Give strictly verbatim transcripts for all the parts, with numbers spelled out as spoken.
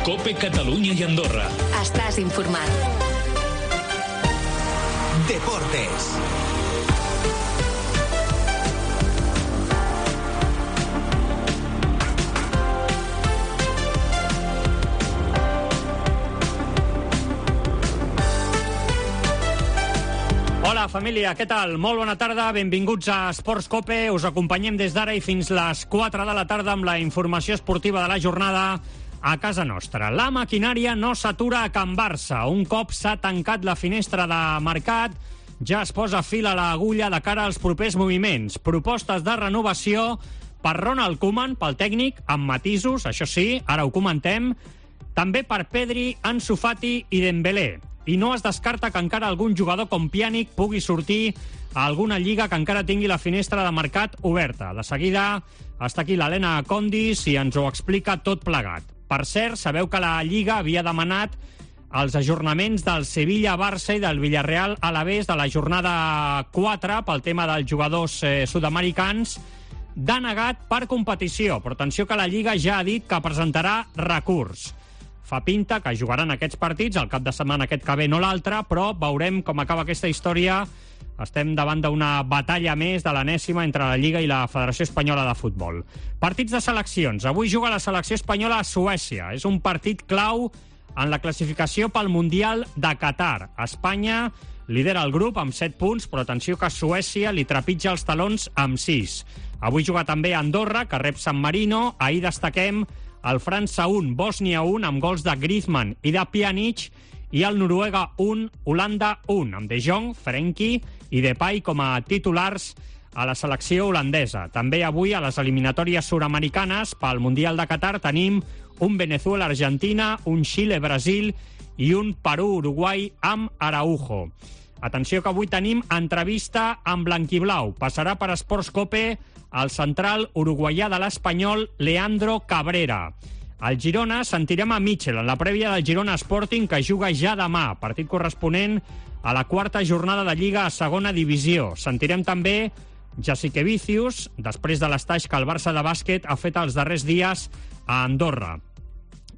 COPE Catalunya i Andorra. Estàs informat. Deportes. Hola, família, què tal? Molt bona tarda, benvinguts a Esports Cope. Us acompanyem des d'ara i fins les quatre de la tarda amb la informació esportiva de la jornada a casa nostra. La maquinària no s'atura a Can Barça. Un cop s'ha tancat la finestra de mercat, ja es posa fil a l'agulla de cara als propers moviments. Propostes de renovació per Ronald Koeman, pel tècnic, amb matisos, això sí, ara ho comentem. També per Pedri, Ansu Fati i Dembélé. I no es descarta que encara algun jugador com Pjanic pugui sortir a alguna lliga que encara tingui la finestra de mercat oberta. De seguida està aquí l'Helena Condis i ens ho explica tot plegat. Per cert, sabeu que la Lliga havia demanat els ajornaments del Sevilla-Barça i del Villarreal-Alavés de la jornada quatre pel tema dels jugadors eh, sud-americans, denegat per competició. Però atenció que la Lliga ja ha dit que presentarà recurs. Fa pinta que jugaran aquests partits, el cap de setmana aquest que ve, no l'altre, però veurem com acaba aquesta història. Estem davant d'una batalla més de l'enèsima entre la Lliga i la Federació Espanyola de Futbol. Partits de seleccions. Avui juga la selecció espanyola a Suècia. És un partit clau en la classificació pel Mundial de Qatar. Espanya lidera el grup amb set punts, però atenció que Suècia li trepitja els talons amb sis. Avui juga també Andorra, que rep San Marino. Ahir destaquem el França un, Bòsnia un, amb gols de Griezmann i de Pjanic, i el Noruega un, Holanda un, amb De Jong, Frenkie i Depay com a titulars a la selecció holandesa. També avui a les eliminatòries sud-americanes pel Mundial de Qatar tenim un Venezuela-Argentina, un Xile-Brasil i un Perú-Uruguai amb Araujo. Atenció que avui tenim entrevista amb blanquiblau. Passarà per Esports Cope el central uruguaià de l'Espanyol, Leandro Cabrera. Al Girona sentirem a Mitchell en la prèvia del Girona Sporting, que juga ja demà, partit corresponent a la quarta jornada de Lliga a segona divisió. Sentirem també Jasikevičius, després de l'estaix que el Barça de bàsquet ha fet els darrers dies a Andorra.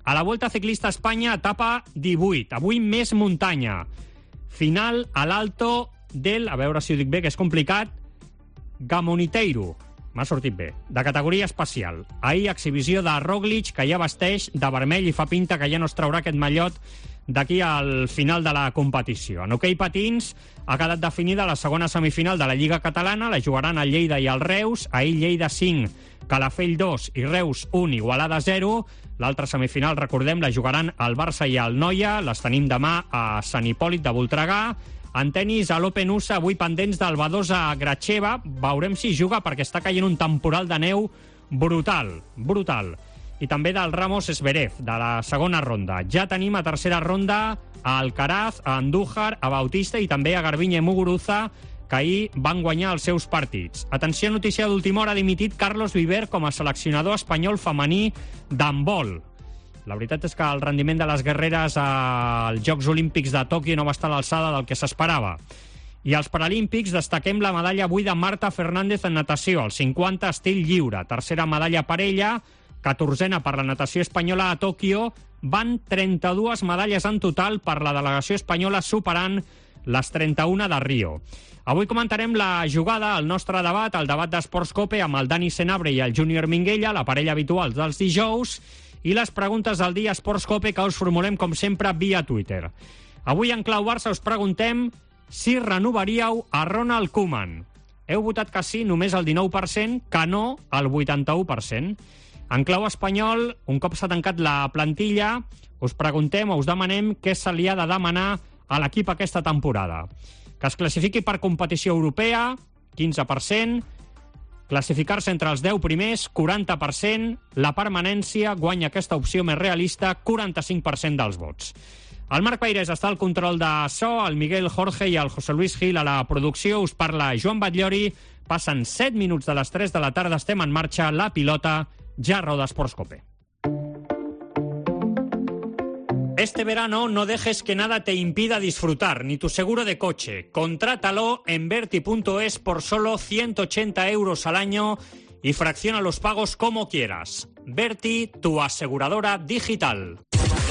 A la Volta Ciclista a Espanya, etapa divuit. Avui més muntanya. Final a l'Alto del, a veure si ho dic bé, que és complicat, Gamoniteiro. M'ha sortit bé. De categoria especial. Ahir exhibició de Roglic, que ja vesteix de vermell i fa pinta que ja no es traurà aquest mallot d'aquí al final de la competició. En hoquei patins ha quedat definida la segona semifinal de la Lliga Catalana. La jugaran el Lleida i el Reus. Ahir Lleida cinc, Calafell dos i Reus un, Igualada zero. L'altra semifinal, recordem, la jugaran el Barça i el Noia. Les tenim demà a Sant Hipòlit de Voltregà. En tenis, a l'Open U S A, avui pendents del Badosa Gracheva. Veurem si juga perquè està caient un temporal de neu brutal, brutal. I també del Ramos Zverev, de la segona ronda. Ja tenim a tercera ronda a Alcaraz, a Andújar, a Bautista i també a Garbiñe Muguruza, que ahir van guanyar els seus partits. Atenció, notícia d'última hora, ha dimitit Carlos Viver com a seleccionador espanyol femení d'handbol. La veritat és que el rendiment de les guerreres als Jocs Olímpics de Tòquio no va estar a l'alçada del que s'esperava. I als Paralímpics destaquem la medalla avui de Marta Fernández en natació, el cinquanta estil lliure. Tercera medalla per ella, catorzena per la natació espanyola a Tòquio. Van trenta-dues medalles en total per la delegació espanyola, superant les trenta-una de Rio. Avui comentarem la jugada, el nostre debat, el debat d'Esports Cope amb el Dani Senabre i el Júnior Minguella, la parella habitual dels dijous, i les preguntes del dia Esports Cope que us formulem, com sempre, via Twitter. Avui en Clau Barça us preguntem si renovaríeu a Ronald Koeman. Heu votat que sí només el dinou per cent, que no el vuitanta-u per cent. En clau espanyol, un cop s'ha tancat la plantilla, us preguntem o us demanem què se li ha de demanar a l'equip aquesta temporada. Que es classifiqui per competició europea, quinze per cent, classificar-se entre els deu primers, quaranta per cent, la permanència, guanya aquesta opció més realista, quaranta-cinc per cent dels vots. El Marc Peirés està al control de so, el Miguel Jorge i el José Luis Gil a la producció. Us parla Joan Batllori. Passen set minuts de les tres de la tarda, estem en marxa, la pilota ja roda Esports Cope. Este verano no dejes que nada te impida disfrutar, ni tu seguro de coche. Contrátalo en Verti punto es por solo ciento ochenta euros al año y fracciona los pagos como quieras. Verti, tu aseguradora digital.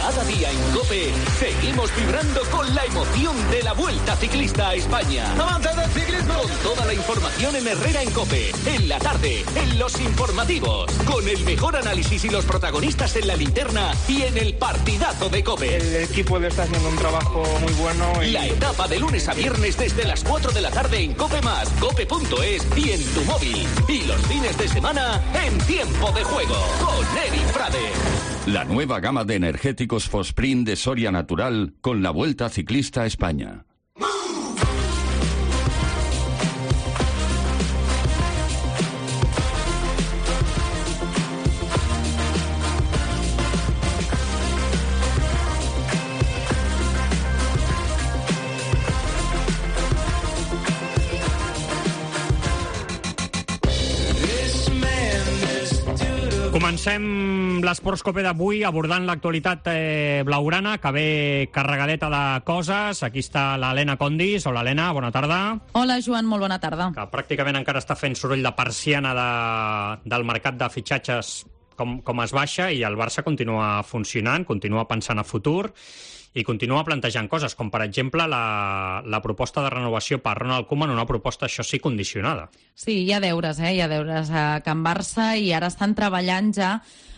Cada día en COPE seguimos vibrando con la emoción de la Vuelta Ciclista a España. ¡Avance del ciclismo! Con toda la información en Herrera en COPE, en la tarde, en los informativos, con el mejor análisis y los protagonistas en la linterna y en el partidazo de COPE. El equipo le está haciendo un trabajo muy bueno. Y... La etapa de lunes a viernes desde las cuatro de la tarde en COPE más, cope punto es y en tu móvil. Y los fines de semana en Tiempo de Juego con Eric Frade. La nueva gama de energéticos Fosprint de Soria Natural con la Vuelta Ciclista a España. Comencem l'Esports Cope d'avui abordant l'actualitat eh, blaugrana, que ve carregadeta de coses. Aquí està l'Helena Condis. Hola, Helena, bona tarda. Hola, Joan, molt bona tarda. Que pràcticament encara està fent soroll de persiana de, del mercat de fitxatges com, com es baixa, i el Barça continua funcionant, continua pensant a futur i continua plantejant coses, com per exemple la, la proposta de renovació per Ronald Koeman, una proposta, això sí, condicionada. Sí, hi ha deures, eh? Hi ha deures a Can Barça i ara estan treballant ja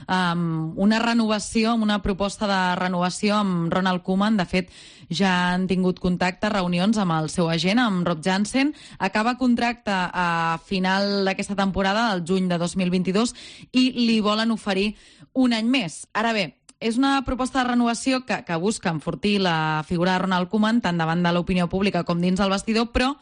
um, una renovació, amb una proposta de renovació amb Ronald Koeman. De fet, ja han tingut contacte, reunions amb el seu agent, amb Rob Jansen. Acaba contracte a final d'aquesta temporada, al juny de dos mil vint-i-dos, i li volen oferir un any més. Ara bé, és una proposta de renovació que, que busca enfortir la figura de Ronald Koeman tant davant de l'opinió pública com dins el vestidor, però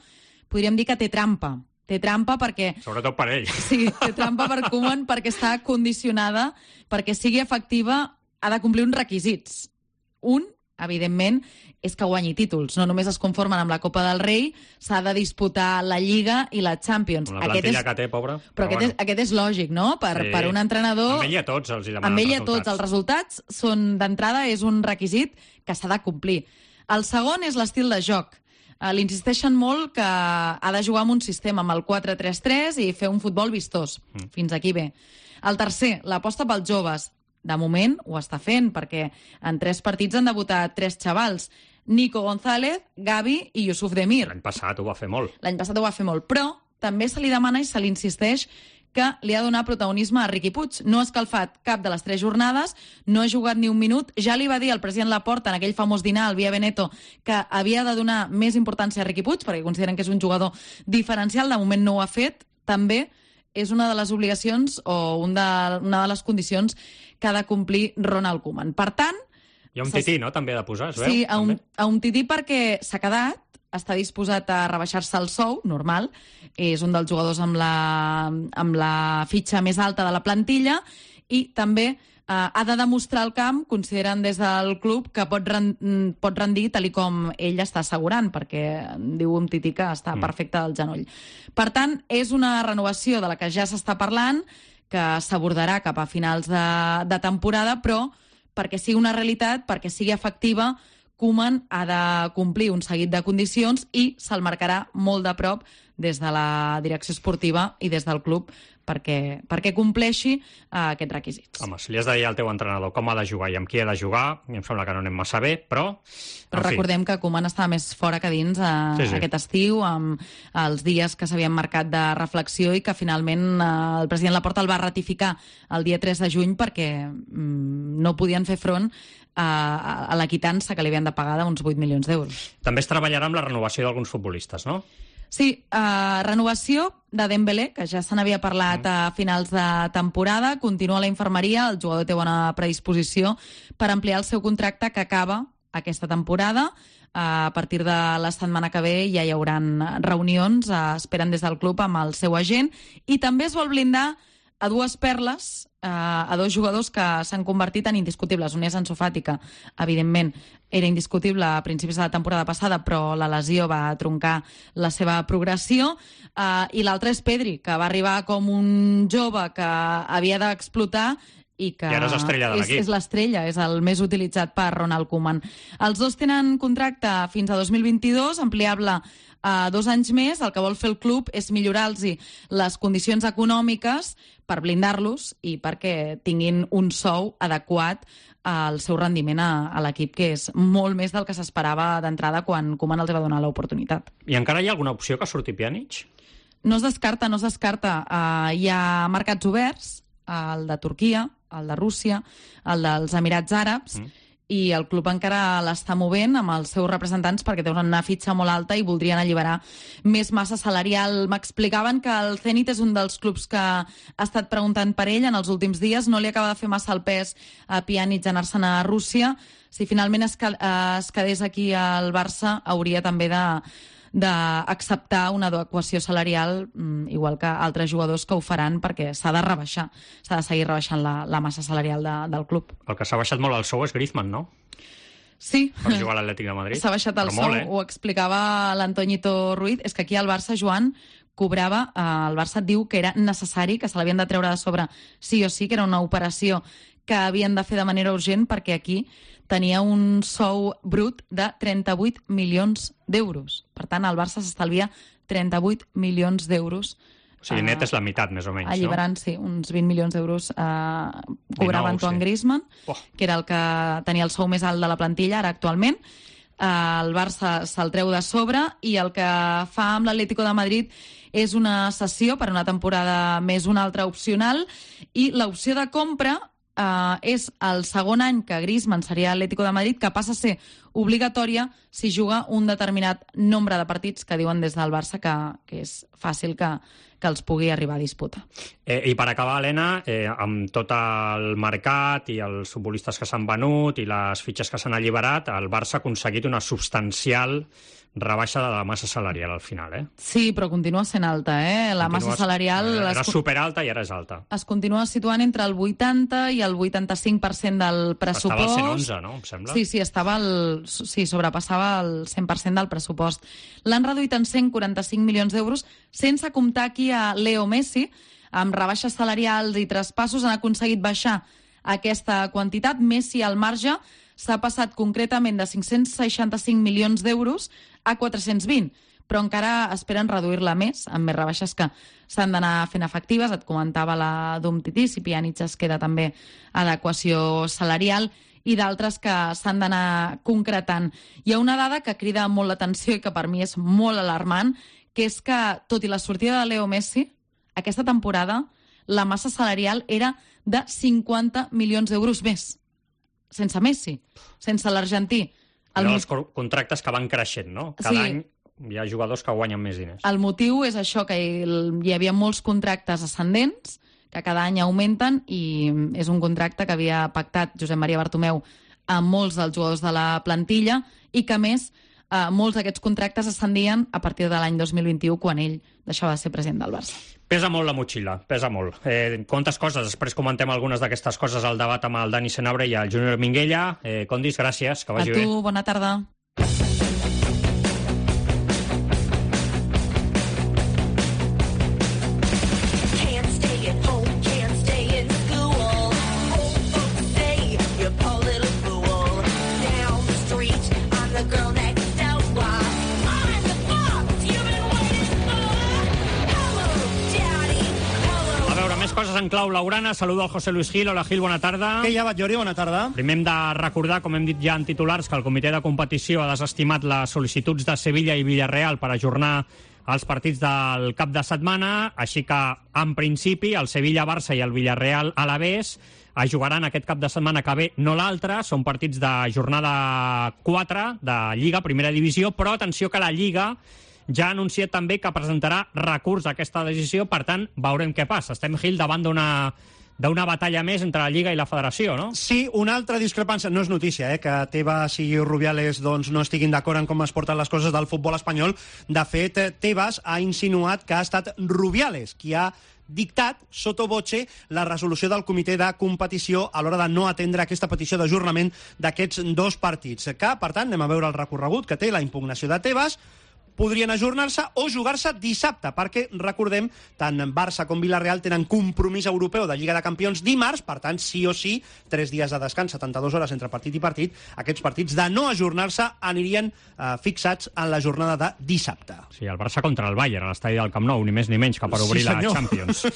podríem dir que té trampa. Té trampa perquè... Sobretot per ell. Sí, té trampa per Koeman perquè està condicionada, perquè sigui efectiva ha de complir uns requisits. Un, evidentment, és que guanyi títols. No només es conformen amb la Copa del Rei, s'ha de disputar la Lliga i la Champions. Una plantilla és... que té, pobra. Però, però aquest, bueno. és, aquest és lògic, no? Per, sí. per un entrenador... Amb ell i a tots els hi demanen amb ell i a tots. Els resultats són, d'entrada, és un requisit que s'ha de complir. El segon és l'estil de joc. Uh, L'insisteixen molt que ha de jugar amb un sistema, amb el quatre tres tres, i fer un futbol vistós. Mm. Fins aquí bé. El tercer, l'aposta pels joves. De moment ho està fent, perquè en tres partits han debutat tres xavals. Nico González, Gavi i Yusuf Demir. L'any passat ho va fer molt. L'any passat ho va fer molt, però també se li demana i se li insisteix que li ha de donar protagonisme a Riqui Puig. No ha escalfat cap de les tres jornades, no ha jugat ni un minut. Ja li va dir el president Laporta en aquell famós dinar al Via Veneto que havia de donar més importància a Riqui Puig, perquè consideren que és un jugador diferencial. De moment no ho ha fet. També és una de les obligacions o un de, una de les condicions que ha de complir Ronald Koeman. Per tant... Hi ha un tití, no?, també ha de posar, es veu? Sí, a un, a un tití perquè s'ha quedat, està disposat a rebaixar-se el sou, normal, és un dels jugadors amb la, amb la fitxa més alta de la plantilla, i també eh, ha de demostrar al camp, consideren des del club, que pot, rend, pot rendir tal com ell està assegurant, perquè diu un tití que està mm. perfecte del genoll. Per tant, és una renovació de la que ja s'està parlant, que s'abordarà cap a finals de, de temporada, però perquè sigui una realitat, perquè sigui efectiva, Koeman ha de complir un seguit de condicions i se'l marcarà molt de prop des de la direcció esportiva i des del club perquè, perquè compleixi uh, aquests requisits. Home, si li has de dir al teu entrenador com ha de jugar i amb qui ha de jugar, em sembla que no anem massa bé, però... Però recordem que Koeman estava més fora que dins uh, sí, sí. aquest estiu, amb els dies que s'havien marcat de reflexió i que finalment uh, el president Laporta el va ratificar el dia tres de juny perquè um, no podien fer front a, a la quitança que li havien de pagar d'uns vuit milions d'euros. També es treballarà amb la renovació d'alguns futbolistes, no? Sí, uh, renovació de Dembélé, que ja se n'havia parlat a finals de temporada. Continua a la infermeria, el jugador té bona predisposició per ampliar el seu contracte que acaba aquesta temporada. Uh, a partir de la setmana que ve ja hi haurà reunions, uh, esperen des del club amb el seu agent, i també es vol blindar a dues perles, eh, a dos jugadors que s'han convertit en indiscutibles. Un és Ansu Fati, que, evidentment, era indiscutible a principis de la temporada passada, però la lesió va troncar la seva progressió. Eh, I l'altre és Pedri, que va arribar com un jove que havia d'explotar i que I ara és estrella de és, l'equip. és l'estrella, és el més utilitzat per Ronald Koeman. Els dos tenen contracte fins a dos mil vint-i-dos, ampliable a dos anys més. El que vol fer el club és millorar-los les condicions econòmiques per blindar-los i perquè tinguin un sou adequat al seu rendiment a, a l'equip, que és molt més del que s'esperava d'entrada quan Koeman els va donar l'oportunitat. I encara hi ha alguna opció que surti Pjanic? No es descarta, no es descarta. Uh, hi ha mercats oberts, el de Turquia, el de Rússia, el dels Emirats Àrabs, mm. i el club encara l'està movent amb els seus representants perquè té una fitxa molt alta i voldrien alliberar més massa salarial. M'explicaven que el Zenit és un dels clubs que ha estat preguntant per ell en els últims dies. No li acaba de fer massa el pes a Pjanic anar-se'n a Rússia. Si finalment es, es quedés aquí al Barça, hauria també de d'acceptar una adequació salarial, igual que altres jugadors que ho faran, perquè s'ha de rebaixar, s'ha de seguir rebaixant la, la massa salarial de, del club. El que s'ha baixat molt el sou és Griezmann, no? Sí. Per jugar a l'Atlètic de Madrid. S'ha baixat el Però sou, molt, eh? ho explicava l'Antoñito Ruiz. És que aquí al Barça, Joan, cobrava, eh, el Barça et diu que era necessari, que se l'havien de treure de sobre sí o sí, que era una operació que havien de fer de manera urgent perquè aquí tenia un sou brut de trenta-vuit milions d'euros. Per tant, el Barça s'estalvia trenta-vuit milions d'euros. O sigui, net és la meitat, més o menys, alliberant, no? sí, uns vint milions d'euros eh, cobrava dinou, Antoine sí. Griezmann, Oh. que era el que tenia el sou més alt de la plantilla, ara actualment. Eh, el Barça se'l treu de sobre i el que fa amb l'Atlético de Madrid és una cessió per una temporada més, una altra opcional, i l'opció de compra Uh, és el segon any que Griezmann seria Atlético de Madrid, que passa a ser obligatòria si juga un determinat nombre de partits que diuen des del Barça que, que és fàcil que, que els pugui arribar a disputar. Eh, I per acabar, Helena, eh, amb tot el mercat i els futbolistes que s'han venut i les fitxes que s'han alliberat, el Barça ha aconseguit una substancial rebaixa de la massa salarial al final, eh? Sí, però continua sent alta, eh? La Continua, massa salarial... Era es, superalta i ara és alta. Es continua situant entre el vuitanta i el vuitanta-cinc per cent del pressupost. Estava al cent onze, no? Em sembla. Sí, sí, estava el, sí, sobrepassava el cent per cent del pressupost. L'han reduït en cent quaranta-cinc milions d'euros, sense comptar aquí a Leo Messi. Amb rebaixes salarials i traspassos han aconseguit baixar aquesta quantitat. Messi al marge s'ha passat concretament de cinc-cents seixanta-cinc milions d'euros a quatre-cents vint, però encara esperen reduir-la més, amb més rebaixes que s'han d'anar fent efectives. Et comentava la d'Umtiti, si Pjanic es queda també adequació salarial, i d'altres que s'han d'anar concretant. Hi ha una dada que crida molt l'atenció i que per mi és molt alarmant, que és que, tot i la sortida de Leo Messi, aquesta temporada la massa salarial era de cinquanta milions d'euros més. Sense Messi, sense l'argentí. El... Els contractes que van creixent, no? Cada sí. any hi ha jugadors que guanyen més diners. El motiu és això, que hi havia molts contractes ascendents, que cada any augmenten, i és un contracte que havia pactat Josep Maria Bartomeu amb molts dels jugadors de la plantilla, i que, a més, eh, molts d'aquests contractes ascendien a partir de l'any dos mil vint-i-u, quan ell deixava de ser president del Barça. Pesa molt la motxilla, pesa molt. Eh, quantes coses? Després comentem algunes d'aquestes coses al debat amb el Dani Senabre i el Júnior Minguella. Eh, Condis, gràcies, que vagi bé. A tu, bé. Bona tarda. Coses en clau laurana. Saludo al José Luis Gil. Hola, Gil, bona tarda. Què hi ha, Batllori? Bona tarda. Primer hem de recordar, com hem dit ja en titulars, que el comitè de competició ha desestimat les sol·licituds de Sevilla i Villarreal per ajornar els partits del cap de setmana, així que, en principi, el Sevilla-Barça i el Villarreal-Alavés es jugaran aquest cap de setmana que ve, no l'altre. Són partits de jornada quatre de Lliga, primera divisió, però atenció que la Lliga ja ha anunciat també que presentarà recurs a aquesta decisió, per tant, veurem què passa. Estem, Gil, davant d'una d'una batalla més entre la Lliga i la Federació, no? Sí, una altra discrepància. No és notícia, eh, que Tebas i Rubiales doncs, no estiguin d'acord en com es porten les coses del futbol espanyol. De fet, Tebas ha insinuat que ha estat Rubiales qui ha dictat sotto voce la resolució del comitè de competició a l'hora de no atendre aquesta petició d'ajornament d'aquests dos partits. Que, per tant, anem a veure el recorregut que té la impugnació de Tebas. podrien ajornar-se o jugar-se dissabte, perquè, recordem, tant Barça com Villarreal tenen compromís europeu de Lliga de Campions dimarts, per tant, sí o sí, tres dies de descans, setanta-dues hores entre partit i partit, aquests partits de no ajornar-se anirien eh, fixats en la jornada de dissabte. Sí, el Barça contra el Bayern, a l'estadi del Camp Nou, ni més ni menys que per obrir sí, la Champions.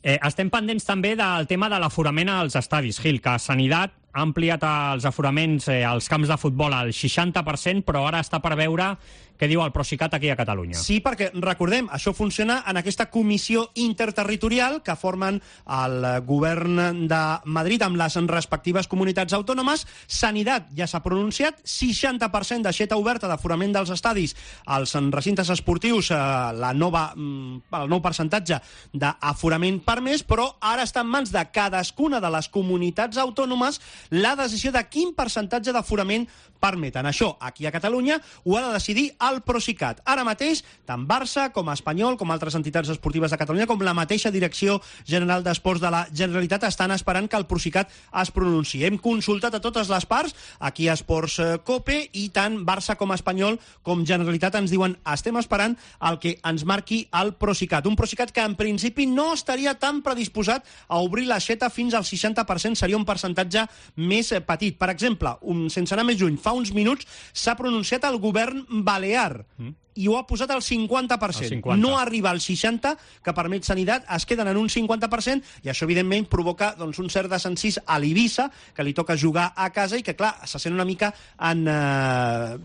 Eh, estem pendents també del tema de l'aforament als estadis, Gil, que Sanitat ha ampliat els aforaments eh, als camps de futbol al seixanta per cent, però ara està per veure què diu el Procicat aquí a Catalunya. Sí, perquè, recordem, això funciona en aquesta comissió interterritorial que formen el govern de Madrid amb les respectives comunitats autònomes. Sanitat ja s'ha pronunciat, seixanta per cent d'aixeta oberta d'aforament dels estadis als recintes esportius, eh, la nova, el nou percentatge d'aforament permès, però ara està en mans de cadascuna de les comunitats autònomes la decisió de quin percentatge d'aforament permeten. Això, aquí a Catalunya, ho ha de decidir el Procicat. Ara mateix, tant Barça com Espanyol, com altres entitats esportives de Catalunya, com la mateixa Direcció General d'Esports de la Generalitat, estan esperant que el Procicat es pronunciï. Hem consultat a totes les parts, aquí a Esports Cope, i tant Barça com Espanyol com Generalitat ens diuen estem esperant el que ens marqui el Procicat. Un Procicat que en principi no estaria tan predisposat a obrir l'aixeta fins al seixanta per cent, seria un percentatge més petit. Per exemple, un, sense anar més lluny, fa uns minuts s'ha pronunciat el govern balear mm. i ho ha posat al cinquanta per cent. cinquanta. No arriba al seixanta, que permet Sanitat, es queden en un cinquanta per cent, i això, evidentment, provoca doncs, un cert desencís a l'Eivissa, que li toca jugar a casa i que, clar, se sent una mica en eh,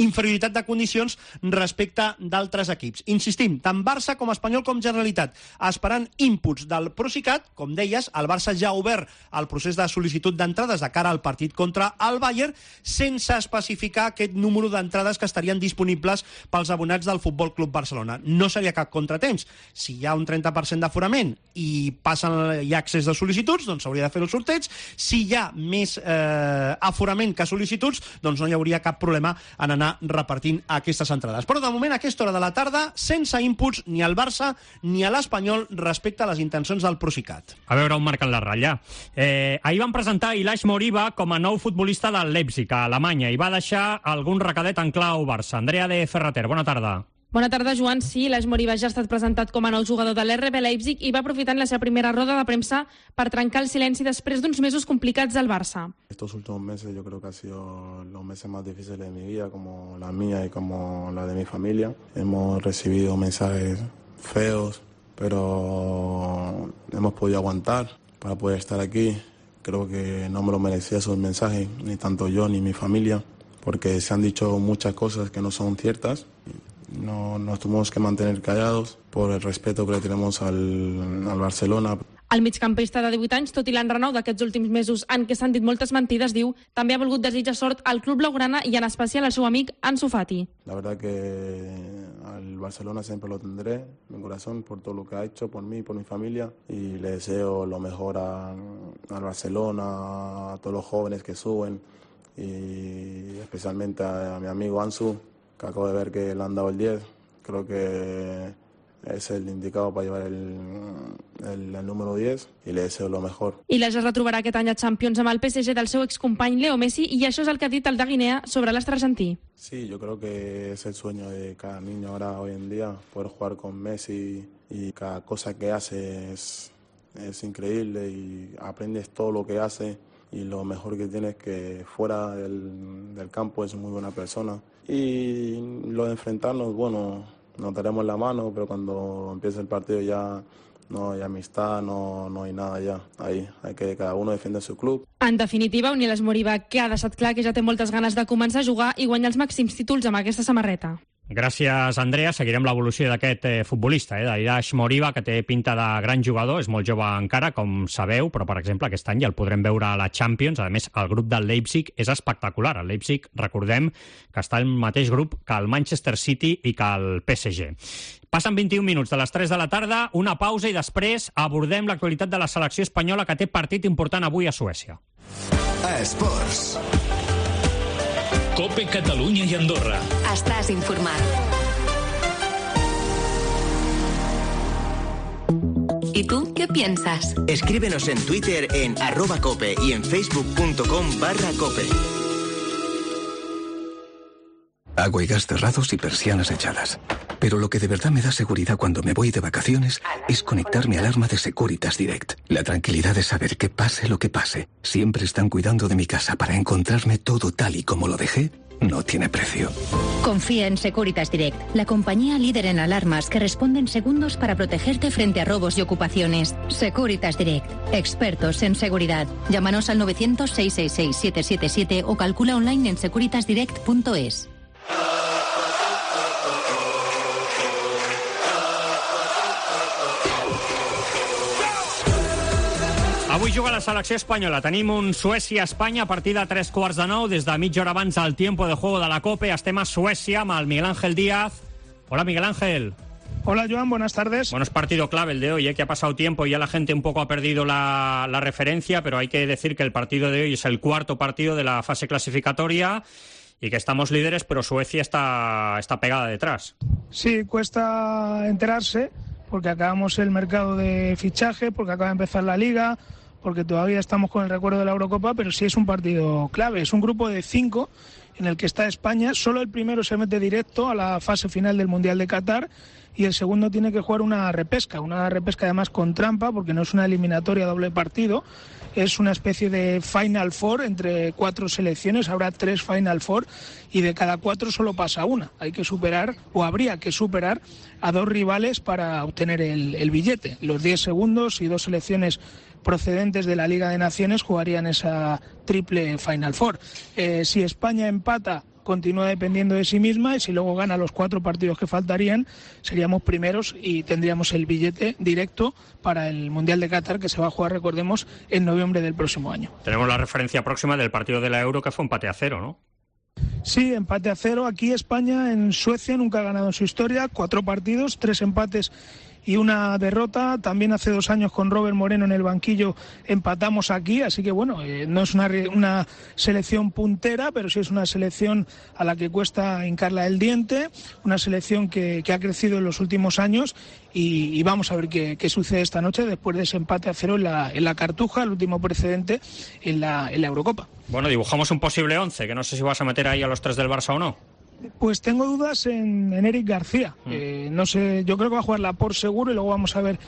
inferioritat de condicions respecte d'altres equips. Insistim, tant Barça com Espanyol com Generalitat, esperant inputs del Procicat. Com deies, el Barça ja ha obert el procés de sol·licitud d'entrades de cara al partit contra el Bayern, sense especificar aquest número d'entrades que estarien disponibles pels abonats del Futbol Club Barcelona. No seria cap contratemps. Si hi ha un trenta per cent d'aforament i passen, hi ha accés de sol·licituds, doncs s'hauria de fer el sorteig. Si hi ha més eh, aforament que sol·licituds, doncs no hi hauria cap problema en anar repartint aquestes entrades. Però de moment, a aquesta hora de la tarda, sense inputs ni al Barça ni a l'Espanyol respecte a les intencions del Procicat. A veure on marquen la ratlla. Eh, ahir van presentar Ilaix Moriba com a nou futbolista del Leipzig a Alemanya i va deixar algun recadet en clau Barça. Andrea de Ferrater, bona tarda. Bona tarda, Joan. Sí, Ilaix Moriba ja ha estat presentat com a nou jugador de l'R B Leipzig i va aprofitar la seva primera roda de premsa per trencar el silenci després d'uns mesos complicats al Barça. Estos últimos meses yo creo que han sido los meses más difíciles de mi vida, como la mía y como la de mi familia. Hemos recibido mensajes feos, pero hemos podido aguantar para poder estar aquí. Creo que no me lo merecía esos mensajes, ni tanto yo ni mi familia, porque se han dicho muchas cosas que no son ciertas. No, nos tuvimos que mantener callados por el respeto que le tenemos al, al Barcelona. El migcampista de divuit anys, tot i l'enrenou d'aquests últims mesos en què s'han dit moltes mentides, diu, també ha volgut desitjar sort al club blaugrana i en especial al seu amic Ansu Fati. La verdad que al Barcelona siempre lo tendré en mi corazón por todo lo que ha hecho por mí y por mi familia, y le deseo lo mejor a, al Barcelona, a todos los jóvenes que suben, y especialmente a, a mi amigo Ansu, que acabo de ver que le han dado el diez. Creo que es el indicado para llevar el, el, el número diez y le deseo lo mejor. I la ja es retrobarà aquest any a Champions amb el P S G del seu excompany Leo Messi, i això és el que ha dit el de Guinea sobre l'astre argentí. Sí, yo creo que es el sueño de cada niño ahora hoy en día, poder jugar con Messi, y cada cosa que hace es, es increíble y aprendes todo lo que hace, y lo mejor que tiene es que fuera del, del campo es muy buena persona. Y lo de enfrentarnos, bueno, nos daremos la mano, pero cuando empiece el partido ya no hay amistad, no, no hay nada ya. Ahí hay que cada uno defiende su club. En definitiva, un Ilaix Moriba que ha deixat clar que ja té moltes ganes de començar a jugar i guanyar els màxims títols amb aquesta samarreta. Gràcies, Andrea. Seguirem l'evolució d'aquest eh, futbolista, eh, d'Iraix Moriba, que té pinta de gran jugador, és molt jove encara, com sabeu, però, per exemple, aquest any ja el podrem veure a la Champions. A més, el grup del Leipzig és espectacular. El Leipzig, recordem, que està al mateix grup que el Manchester City i que el P S G. Passen vint-i-un minuts de les tres de la tarda, una pausa i després abordem l'actualitat de la selecció espanyola, que té partit important avui a Suècia. Esports. Cope Catalunya i Andorra. Estàs informat. ¿Y tú qué piensas? Escríbenos en Twitter en arroba cope y en facebook punto com barra cope. agua y gas cerrados y persianas echadas. Pero lo que de verdad me da seguridad cuando me voy de vacaciones es conectar mi alarma de Securitas Direct. La tranquilidad de saber que pase lo que pase, siempre están cuidando de mi casa para encontrarme todo tal y como lo dejé, no tiene precio. Confía en Securitas Direct, la compañía líder en alarmas que responde en segundos para protegerte frente a robos y ocupaciones. Securitas Direct, expertos en seguridad. Llámanos al novecientos, seiscientos sesenta y seis, siete siete siete o calcula online en securitas direct punto es. Avui juga la selecció espanyola. Tenim un Suècia-Espanya a partir de tres quarts de nou. Des de mitja hora abans al tiempo de juego de la COPE. Estem a Suècia amb el Miguel Ángel Díaz. Hola, Miguel Ángel. Hola, Joan, buenas tardes. Bueno, es partido clave el de hoy, ¿eh? Que ha pasado tiempo y ya la gente un poco ha perdido la, la referencia, pero hay que decir que el partido de hoy es el cuarto partido de la fase clasificatoria y que estamos líderes, pero Suecia está, está pegada detrás. Sí, cuesta enterarse porque acabamos el mercado de fichaje, porque acaba de empezar la Liga, porque todavía estamos con el recuerdo de la Eurocopa, pero sí es un partido clave. Es un grupo de cinco en el que está España. Solo el primero se mete directo a la fase final del Mundial de Qatar y el segundo tiene que jugar una repesca, una repesca además con trampa, porque no es una eliminatoria doble partido, es una especie de Final Four entre cuatro selecciones. Habrá tres Final Four y de cada cuatro solo pasa una. Hay que superar, o habría que superar, a dos rivales para obtener el, el billete. Los diez segundos y dos selecciones procedentes de la Liga de Naciones jugarían esa triple Final Four. Eh, si España empata, continúa dependiendo de sí misma, y si luego gana los cuatro partidos que faltarían, seríamos primeros y tendríamos el billete directo para el Mundial de Qatar, que se va a jugar, recordemos, en noviembre del próximo año. Tenemos la referencia próxima del partido de la Euro, que fue empate a cero, ¿no? Sí, empate a cero. Aquí España en Suecia nunca ha ganado en su historia, cuatro partidos, tres empates y una derrota. También hace dos años con Robert Moreno en el banquillo empatamos aquí, así que bueno, eh, no es una, una selección puntera, pero sí es una selección a la que cuesta hincarla el diente, una selección que, que ha crecido en los últimos años y, y vamos a ver qué, qué sucede esta noche después de ese empate a cero en la, en la Cartuja, el último precedente en la, en la Eurocopa. Bueno, dibujamos un posible once, que no sé si vas a meter ahí a los tres del Barça o no. Pues tengo dudas en, en Eric García. Mm. Eh, no sé, yo creo que va a jugar Laporte seguro y luego vamos a ver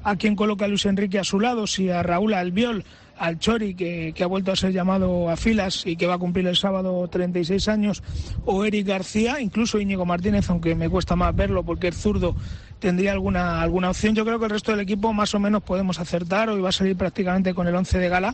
a quién coloca a Luis Enrique a su lado, si a Raúl Albiol, al Chori, que, que ha vuelto a ser llamado a filas y que va a cumplir el sábado treinta y seis años, o Eric García, incluso Íñigo Martínez, aunque me cuesta más verlo porque es zurdo, tendría alguna, alguna opción. Yo creo que el resto del equipo más o menos podemos acertar. Hoy va a salir prácticamente con el once de gala,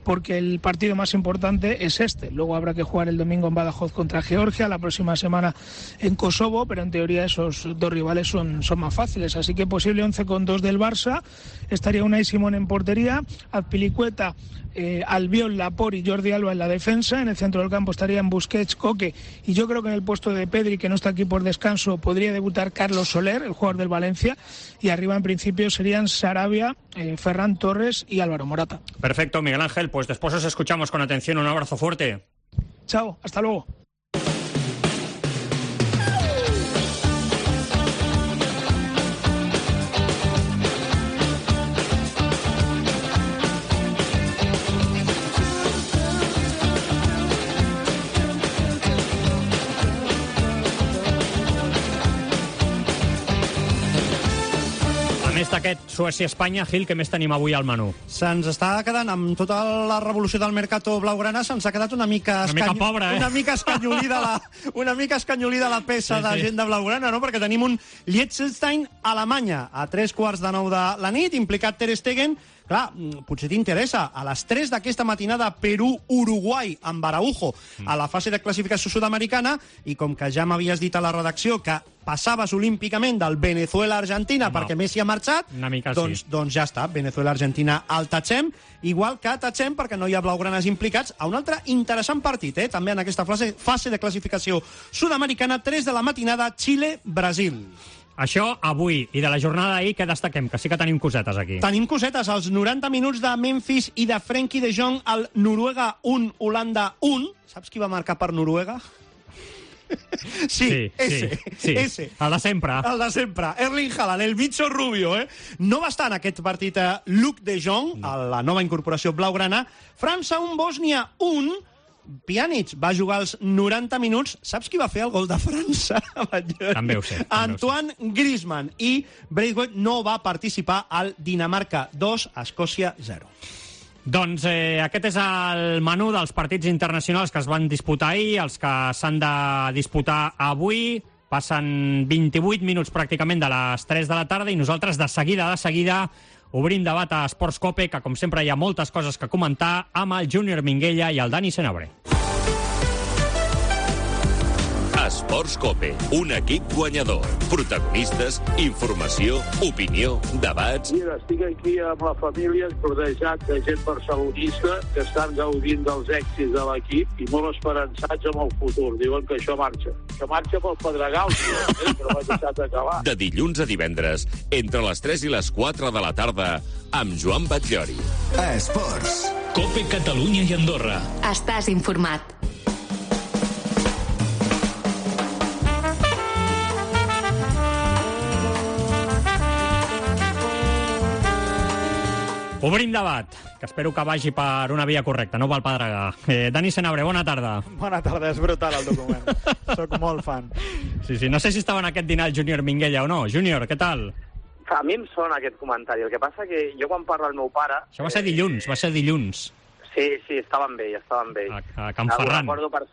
porque el partido más importante es este. Luego habrá que jugar el domingo en Badajoz contra Georgia, la próxima semana en Kosovo, pero en teoría esos dos rivales son, son más fáciles. Así que posible once con dos del Barça. Estaría Unai Simón en portería, Azpilicueta, eh, Albiol, Laporte y Jordi Alba en la defensa. En el centro del campo estarían Busquets, Coque, y yo creo que en el puesto de Pedri, que no está aquí por descanso, podría debutar Carlos Soler, el jugador del Valencia, y arriba en principio serían Sarabia, eh, Ferran Torres y Álvaro Morata. Perfecto, Miguel Ángel, pues después os escuchamos con atención. Un abrazo fuerte. Chao, hasta luego. Més d'aquest Suècia-Espanya, Gil, què més tenim avui al menú? Se'ns està quedant, amb tota la revolució del mercato blaugrana, se'ns ha quedat una mica... Una mica pobra, eh? Una mica escanyolida la, una mica escanyolida la peça sí, de sí. gent de blaugrana, no? Perquè tenim un Liechtenstein Alemanya a tres quarts de nou de la nit, implicat Ter Stegen. Clar, potser t'interessa, a les tres d'aquesta matinada Perú-Uruguai amb Araujo a la fase de classificació sud-americana, i com que ja m'havies dit a la redacció que passaves olímpicament del Venezuela-Argentina no. perquè Messi ha marxat, doncs, sí. doncs ja està, Venezuela-Argentina al tatxem, igual que tatxem perquè no hi ha blaugranes implicats a un altre interessant partit, eh? també en aquesta fase, fase de classificació sud-americana, tres de la matinada, Xile-Brasil. Això avui, i de la jornada d'ahir, què destaquem? Que sí que tenim cosetes aquí. Tenim cosetes, els noranta minuts de Memphis i de Frenkie de Jong al Noruega un, Holanda un. Saps qui va marcar per Noruega? Sí, sí, ese, sí, sí. ese. El de sempre. El de sempre. Erling Haaland, el bicho rubio, eh? No va estar en aquest partit a Luc de Jong, a la nova incorporació blaugrana. França un, Bòsnia un. Pjanic va jugar els noranta minuts. Saps qui va fer el gol de França? També ho sé. Antoine Griezmann. I Braithwaite no va participar al Dinamarca dos, Escòcia zero. Doncs eh, aquest és el menú dels partits internacionals que es van disputar ahir, els que s'han de disputar avui. Passen vint-i-vuit minuts pràcticament de les tres de la tarda i nosaltres de seguida, de seguida, obrim debat a Esports Cope, que com sempre hi ha moltes coses que comentar, amb el Júnior Minguella i el Dani Senabre. Esports Cope, un equip guanyador. Protagonistes, informació, opinió, debats... Mira, estic aquí amb la família, rodejat de gent barcelonista que estan gaudint dels èxits de l'equip i molt esperançats amb el futur. Diuen que això marxa. Que marxa pel Pedregal, eh? Però m'ha deixat acabar. De dilluns a divendres, entre les tres i les quatre de la tarda, amb Joan Batllori. Esports. Cope Catalunya i Andorra. Estàs informat. Obrim debat, que espero que vagi per una via correcta, no pel Pedregà. Eh, Dani Senabre, bona tarda. Bona tarda, és brutal el document. Soc molt fan. Sí, sí, no sé si estava en aquest dinar el Júnior Minguella o no. Júnior, què tal? A mi em sona aquest comentari. El que passa que jo quan parlo al meu pare... Això va ser dilluns, va ser dilluns. Sí, sí, estaven bé, estaven bé. A, a Can Ferran. No, recordo per...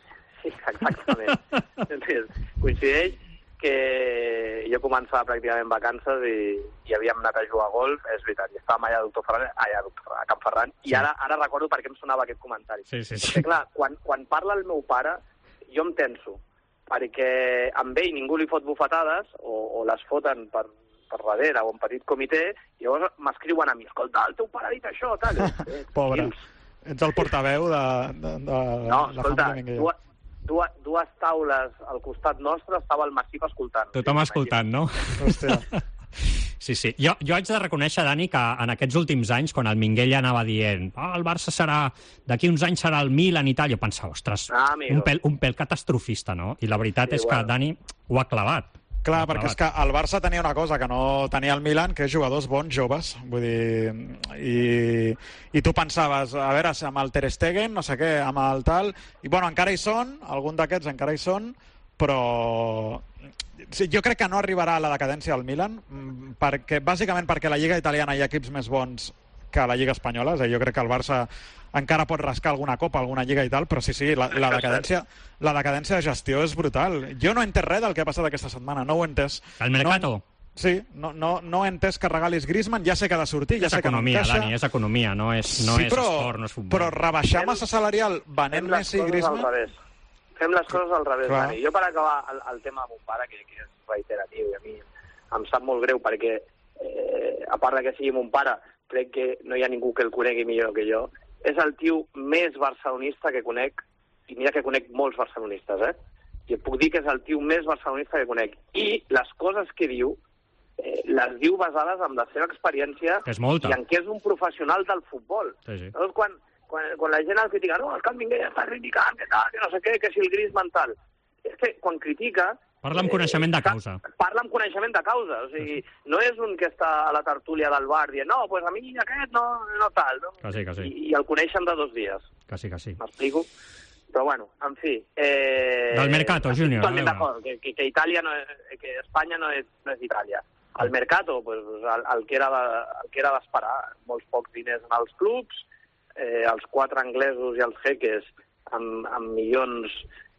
Sí, exactament. Coincideix que jo començava pràcticament vacances i, i havíem anat a jugar a golf, és veritat, i estàvem allà a, Doctor Ferran, allà a Can Ferran, sí. I ara, ara recordo per què em sonava aquest comentari. Sí, sí, sí. Perquè, clar, quan, quan parla el meu pare, jo em tenso, perquè amb ell ningú li fot bufetades, o, o les foten per, per darrere, o en petit comitè, i llavors m'escriuen a mi, escolta, el teu pare ha dit això, tal. Pobre, ets el portaveu de, de, de no, la escolta, família Minguella. Dues, dues taules al costat nostre estava el Massip escoltant. Tothom escoltant, no? Hòstia. Sí, sí. Jo, jo haig de reconèixer, Dani, que en aquests últims anys, quan el Minguella anava dient oh, el Barça serà, d'aquí uns anys serà el Milan i tal, jo pensava, ostres, ah, un, pèl, un pèl catastrofista, no? I la veritat sí, és bueno. que Dani ho ha clavat. Clar, perquè és que el Barça tenia una cosa que no tenia el Milan, que és jugadors bons, joves. Vull dir, i, i tu pensaves, a veure, amb el Ter Stegen, no sé què, amb el tal... I, bueno, encara hi són, algun d'aquests encara hi són, però... Sí, jo crec que no arribarà a la decadència del Milan, perquè, bàsicament perquè a la Lliga italiana hi ha equips més bons que a la Lliga espanyola. És a dir, jo crec que el Barça encara pot rascar alguna copa, alguna lliga i tal, però sí, sí, la, la, decadència, la decadència de gestió és brutal. Jo no he entès res del que ha passat aquesta setmana, no ho he entès. El mercato? No, sí, no, no, no he entès que regalis Griezmann, ja sé que ha de sortir, ja és sé economia, que no encaixa. Dani, és economia, no és, no sí, és però, esport, no és futbol. Però rebaixar massa salarial venent Messi i Griezmann... Fem les coses al revés, Dani. Jo, per acabar el, el tema de mon pare, que, que és reiteratiu, i a mi em sap molt greu, perquè eh, a part de que sigui mon pare, crec que no hi ha ningú que el conegui millor que jo, és el tio més barcelonista que conec, i mira que conec molts barcelonistes, eh? I et puc dir que és el tio més barcelonista que conec. I les coses que diu, eh, les diu basades en la seva experiència és molta. I en què és un professional del futbol. Sí, sí. Llavors, quan, quan, quan la gent el critica, no, és que el Minguella està criticant, que tal, que no sé què, que si el Griezmann tal... És que quan critica... Parla amb coneixement de causa. Parla amb coneixement de causa. O sigui, no és un que està a la tertúlia del bar dient no, pues a mi aquest no, no tal. No? Que sí, que sí. I, I el coneixen de dos dies. Que sí, que sí. M'explico? Però bueno, en fi... Eh... Del mercato, Júnior. Totalment d'acord, que, que, que Itàlia no és, que Espanya no és, no és Itàlia. El mercato, pues, el, el que era de, el que era d'esperar. Molts pocs diners en els clubs, eh, els quatre anglesos i els jeques amb, amb milions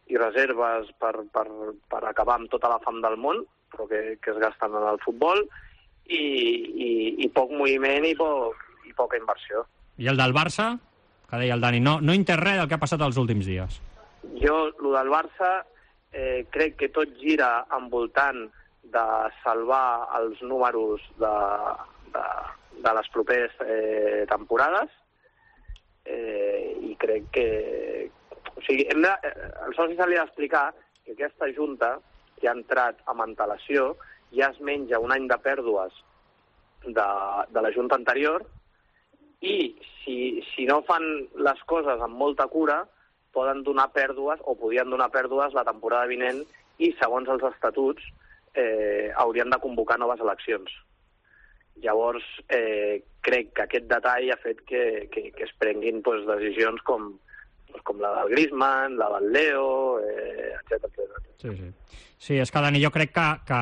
i reserves per, per, per acabar amb tota la fam del món, però que, que es gasten en el futbol, i, i, i poc moviment i, poc, i poca inversió. I el del Barça? Que deia el Dani, no, no entès res del que ha passat els últims dies. Jo, el del Barça, eh, crec que tot gira envoltant de salvar els números de, de, de les properes eh, temporades, eh, i crec que... O sigui, hem de, el soci se li ha d'explicar que aquesta junta que ha entrat amb antelació ja es menja un any de pèrdues de, de la junta anterior i si, si no fan les coses amb molta cura poden donar pèrdues o podien donar pèrdues la temporada vinent i segons els estatuts eh, haurien de convocar noves eleccions. Llavors, eh, crec que aquest detall ha fet que, que, que es prenguin pues, decisions com pues, com la del Griezmann, la del Leo, eh, etcètera, etcètera. Sí, sí. Sí, és que, Dani, jo crec que, que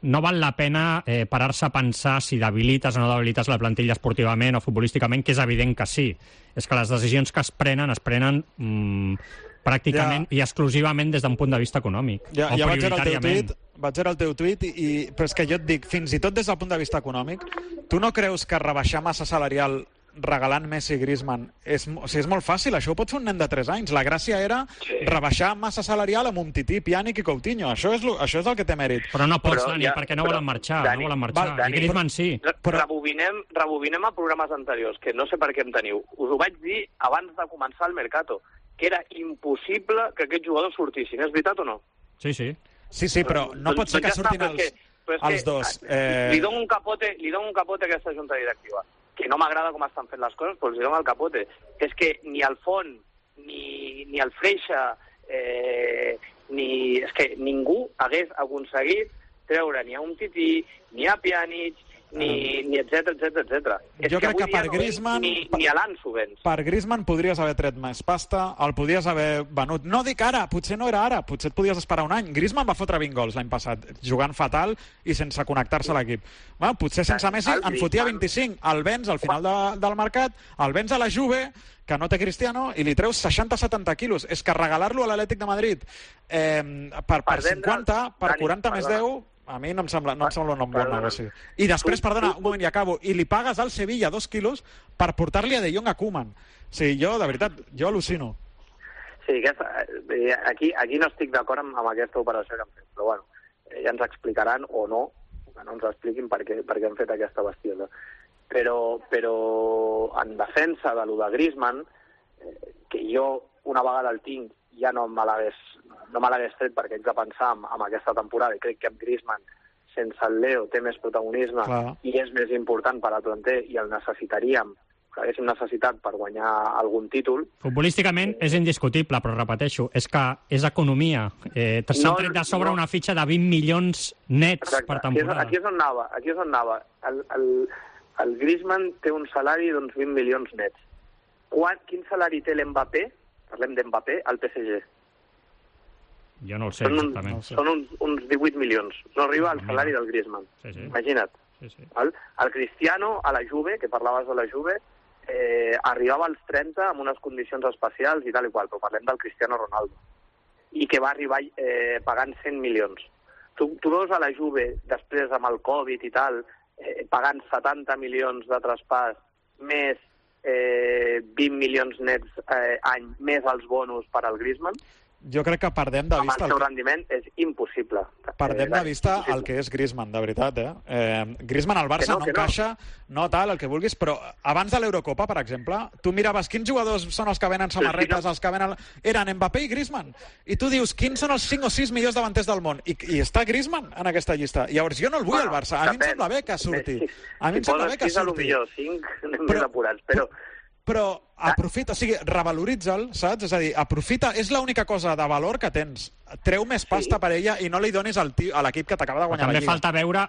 no val la pena eh, parar-se a pensar si debilites o no debilites la plantilla esportivament o futbolísticament, que és evident que sí. És que les decisions que es prenen, es prenen mm, pràcticament ja. i exclusivament des d'un punt de vista econòmic. Ja, o ja vaig veure el teu prioritàriament. tuit, vaig veure el teu tuit, i, i, però és que jo et dic, fins i tot des del punt de vista econòmic, tu no creus que rebaixar massa salarial regalant Messi i Griezmann és, o sigui, és molt fàcil, això ho pot fer un nen de tres anys. La gràcia era sí. rebaixar massa salarial amb Umtiti, Pjanic i Coutinho. Això és, lo, això és el que té mèrit. Però no pots, però, Dani, ja, perquè no volen marxar. Dani, no volen marxar. Val, Dani, I Griezmann sí. Però... Rebobinem, rebobinem a programes anteriors, que no sé per què em teniu. Us ho vaig dir abans de començar el Mercato, que era impossible que aquests jugadors sortissin. És veritat o no? Sí, sí. Sí, sí, però no pot ser que surtin els, els dos. Eh... Li dono un capote, li dono un capote a aquesta junta directiva, que no m'agrada com estan fent les coses, però els dono el capote. És que ni el Font, ni, ni el Freixa, eh, ni... És que ningú hagués aconseguit treure ni a Umtiti, ni a Pjanic, ni, ni etcètera, etcètera, etcètera. Jo crec que per Griezmann... Ni, ni a l'Ansu vens. Per Griezmann podries haver tret més pasta, el podries haver venut. No dic ara, potser no era ara, potser et podies esperar un any. Griezmann va fotre vint gols l'any passat, jugant fatal i sense connectar-se a l'equip. Bueno, potser sense Messi en fotia vint-i-cinc. El vens al final de, del mercat, el vens a la Juve, que no té Cristiano, i li treus seixanta setanta quilos. És que regalar-lo a l'Atlètic de Madrid eh, per, per cinquanta, per quaranta més deu... A mi no em sembla, no em sembla un bon negoci. I després, perdona, un moment i acabo, i li pagues al Sevilla dos quilos per portar-li a De Jong a Koeman. O sigui, jo, de veritat, jo al·lucino. Sí, aquesta, aquí, aquí no estic d'acord amb, amb aquesta operació que han fet, però bueno, ja ens explicaran o no, que no ens expliquin per què, per què han fet aquesta bestiesa. Però, però en defensa de lo de Griezmann, que jo una vegada el tinc, ja no me l'hagués no me l'hagués tret perquè haig de pensar en, en aquesta temporada, i crec que amb Griezmann sense el Leo té més protagonisme Clar. i és més important per a Planter i el necessitaríem, que haguéssim necessitat per guanyar algun títol. Futbolísticament eh... és indiscutible, però repeteixo, és que és economia. Eh, S'han no, tret de sobre no. una fitxa de vint milions nets Exacte. per temporada. Aquí és, aquí és on anava. Aquí és on anava. El, el, el Griezmann té un salari d'uns vint milions nets. Quan, quin salari té l'Mbappé? Parlem d'Mbappé al P S G. Jo no el sé, són un, exactament. Són uns, uns divuit milions. No arriba al salari del Griezmann. Sí, sí. Imagina't. Sí, sí. El, el Cristiano a la Juve, que parlaves de la Juve, eh, arribava als trenta amb unes condicions especials i tal i qual, però parlem del Cristiano Ronaldo. I que va arribar eh, pagant cent milions. Tu, tu veus a la Juve, després amb el Covid i tal, eh, pagant setanta milions de traspàs, més eh, vint milions nets eh, any, més els bonus per al Griezmann. Jo crec que perdem de vista... Amb el seu rendiment és impossible. Perdem de vista el que és Griezmann, de veritat, eh? eh Griezmann al Barça no, no encaixa, no. no tal, el que vulguis, però abans de l'Eurocopa, per exemple, tu miraves quins jugadors són els que venen samarretes, sí, no. els que venen... Eren Mbappé i Griezmann. I tu dius, quins són els cinc o sis millors davanters del món? I, i està Griezmann en aquesta llista. Llavors, jo no el vull bueno, al Barça. A mi em sembla bé que surti. A mi em sembla bé que surti. cinc, anem més apurats, però... Però aprofita, o sigui, revaloritza'l, saps? És a dir, aprofita, és l'única cosa de valor que tens. Treu més pasta sí. per ella i no li donis al tio, a l'equip que t'acaba de guanyar També la Lliga. També falta veure,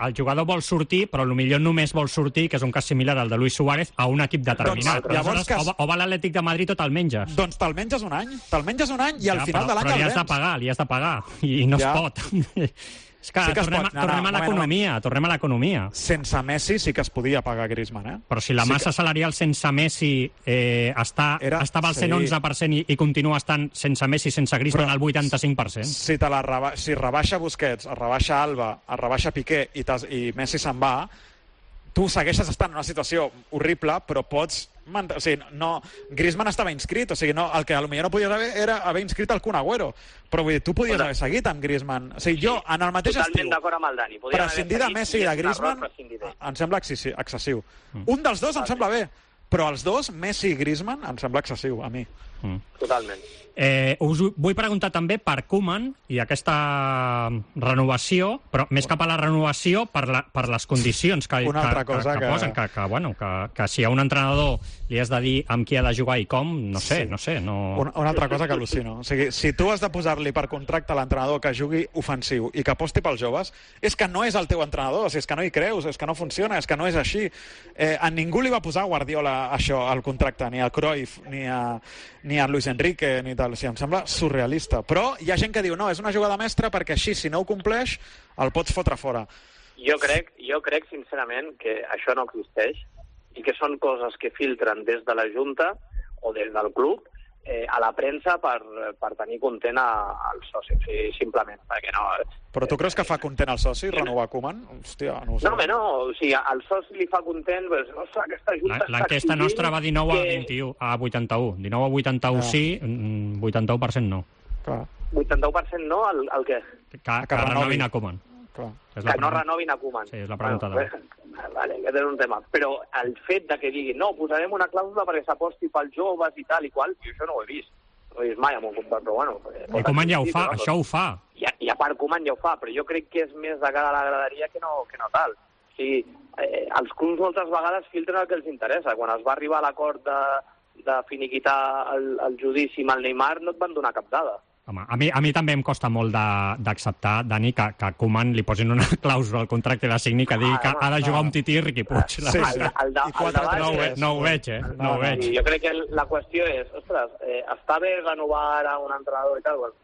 el jugador vol sortir, però potser només vol sortir, que és un cas similar al de Luis Suárez, a un equip determinat. Doncs, llavors, que... O, o va l'Atlètic de Madrid o te'l menges. Doncs te'l menges un any, te'l menges un any i ja, al final però, de l'any el vens. Però li has de pagar, li has de pagar, i, i no ja. es pot. És que, sí que tornem, pot, no, tornem no, a l'economia, no, tornem a l'economia. Sense Messi sí que es podia pagar Griezmann, eh? Però si la sí massa que... salarial sense Messi eh, està, Era... estava al cent onze per cent i, i continua estant sense Messi, sense Griezmann, al vuitanta-cinc per cent. Si, te la reba... si rebaixa Busquets, es rebaixa Alba, es rebaixa Piqué i, i Messi se'n va, tu segueixes estant en una situació horrible, però pots... O sigui, no, Griezmann estava inscrit, o sigui, no, el que potser no podies haver era haver inscrit el Kun Agüero, però vull dir, tu podies haver seguit amb Griezmann. O sigui, jo, en el mateix estiu, prescindir de Messi i de Griezmann em sembla excessiu. Mm. Un dels dos em sembla bé, però els dos, Messi i Griezmann, em sembla excessiu, a mi. Mm. Totalment. Eh, us vull preguntar també per Koeman i aquesta renovació, però més cap a la renovació per, la, per les condicions que, Una altra que, cosa que, que, posen, que, que, bueno, que, que si a un entrenador li has de dir amb qui ha de jugar i com, no sé, sí. no sé. No... Una, una altra cosa que al·lucino. O sigui, si tu has de posar-li per contracte a l'entrenador que jugui ofensiu i que aposti pels joves, és que no és el teu entrenador, o sigui, és que no hi creus, és que no funciona, és que no és així. Eh, a ningú li va posar Guardiola això al contracte, ni a Cruyff, ni a, ni a Luis Enrique, ni tal. O sigui, em sembla surrealista. Però hi ha gent que diu, no, és una jugada mestra perquè així, si no ho compleix, el pots fotre fora. Jo crec, jo crec sincerament que això no existeix i que són coses que filtren des de la Junta o des del club eh, a la premsa per, per tenir content al soci, sí, simplement, perquè no... Però tu creus que fa content al soci renovar Koeman? Hòstia, no ho sé. No, home, no, o sigui, al soci li fa content, pues, ostres, aquesta Junta està L'enquesta nostra va dinou a que... vint-i-u, a vuitanta-u. dinou a vuitanta-u Ah. sí, vuitanta-u per cent no. Clar. vuitanta-u per cent no, el, el què? Que, que renovin a Koeman. Clar. És Que no renovin a Koeman. Sí, és la pregunta Bueno, de... pues, vale, aquest és un tema. Però el fet de que diguin, no, posarem una clàusula perquè s'aposti pels joves i tal i qual, jo això no ho he vist. No ho he vist mai amb un contracte, però bueno... I Koeman ja ho fa, això ho fa. I, I a part Koeman ja ho fa, però jo crec que és més de cara a la graderia que no, que no tal. O sigui, eh, els clubs moltes vegades filtren el que els interessa. Quan es va arribar a l'acord de, de finiquitar el, el judici amb el Neymar, no et van donar cap dada. Home, a mi, a mi també em costa molt d'acceptar, Dani, que, que Koeman li posin una clàusula al contracte i la signi que digui que ha de jugar un tití Riqui Puig. Sí, sí. El, el, de, el debat no, ho ve, és... no ho veig, eh? No ho veig. I jo crec que la qüestió és, ostres, eh, està bé renovar ara un entrenador i tal, bueno,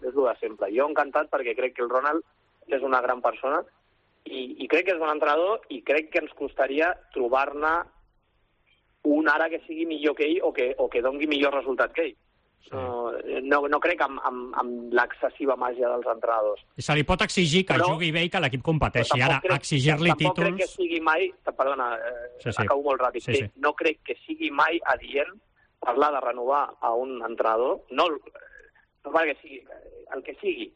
és el de sempre. Jo encantat perquè crec que el Ronald és una gran persona i, i crec que és un entrenador i crec que ens costaria trobar-ne un ara que sigui millor que ell o que, o que dongui millor resultat que ell. No, no, no crec amb, amb, amb l'excessiva màgia dels entrenadors. I se li pot exigir que Però- jugui bé i que l'equip competeixi. Ara, crec- exigir-li tampoc crec que títols... sigui mai... Perdona, eh, Sí, sí. acabo molt ràpid. Sí, Sí, sí. No crec que sigui mai adient parlar de renovar a un entrenador, no, no perquè sigui el que sigui,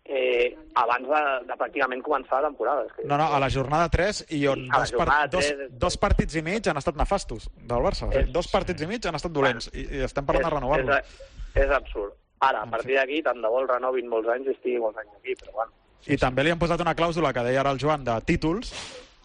eh, abans de, de pràcticament començar la temporada. És que... No, no, a la jornada tres i on a la dos, par jornada dos, tres- dos partits i mig han estat nefastos del Barça. És- Dos partits i mig han estat dolents i, i estem parlant de renovar-lo. És, és absurd. Ara, a partir d'aquí, tant de bo el renovin molts anys i estigui molts anys aquí, però bueno. I també li han posat una clàusula que deia ara el Joan de títols,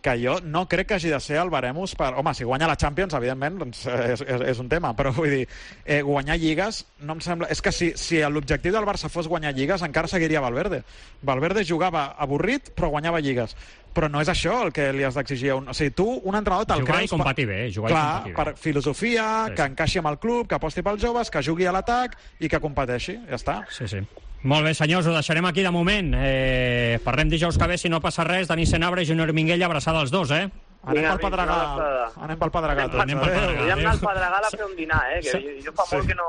que jo no crec que hagi de ser el baremus per... Home, si guanya la Champions, evidentment, doncs és, és, és un tema, però vull dir, eh, guanyar lligues no em sembla... És que si, si l'objectiu del Barça fos guanyar lligues, encara seguiria Valverde. Valverde jugava avorrit, però guanyava lligues. Però no és això el que li has d'exigir a un... O sigui, tu, un entrenador te'l Jugar i creus... competir bé, jugar i Clar, competir bé. per filosofia, Sí, que sí. encaixi amb el club, que aposti pels joves, que jugui a l'atac i que competeixi. Ja està. Sí, sí. Molt bé, senyors, ho deixarem aquí de moment. Eh, parlem dijous que ve, si no passa res. Dani Senabre i Júnior Minguella, abraçada als dos, eh? Anem pel Pedregar. una abraçada. Anem pel Pedregar. tots. Anem pel Pedregar. Podríem anar al Pedregal a fer un dinar, eh? Que jo, jo fa molt que no...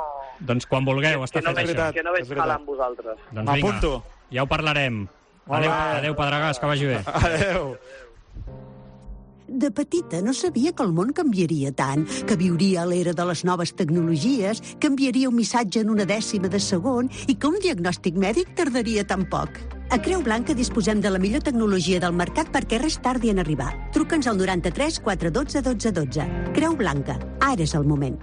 Doncs quan vulgueu, està que no fet veig, això. que no veig calar amb vosaltres. Doncs vinga, M'apunto. ja ho parlarem. Molt Adéu, bé. adéu Pedregàs, que vagi bé. Adéu. De petita no sabia que el món canviaria tant, que viuria a l'era de les noves tecnologies, que enviaria un missatge en una dècima de segon i que un diagnòstic mèdic tardaria tan poc. A Creu Blanca disposem de la millor tecnologia del mercat perquè res tardi en arribar. Truca'ns al noranta-tres quatre dotze dotze dotze. Creu Blanca. Ara és el moment.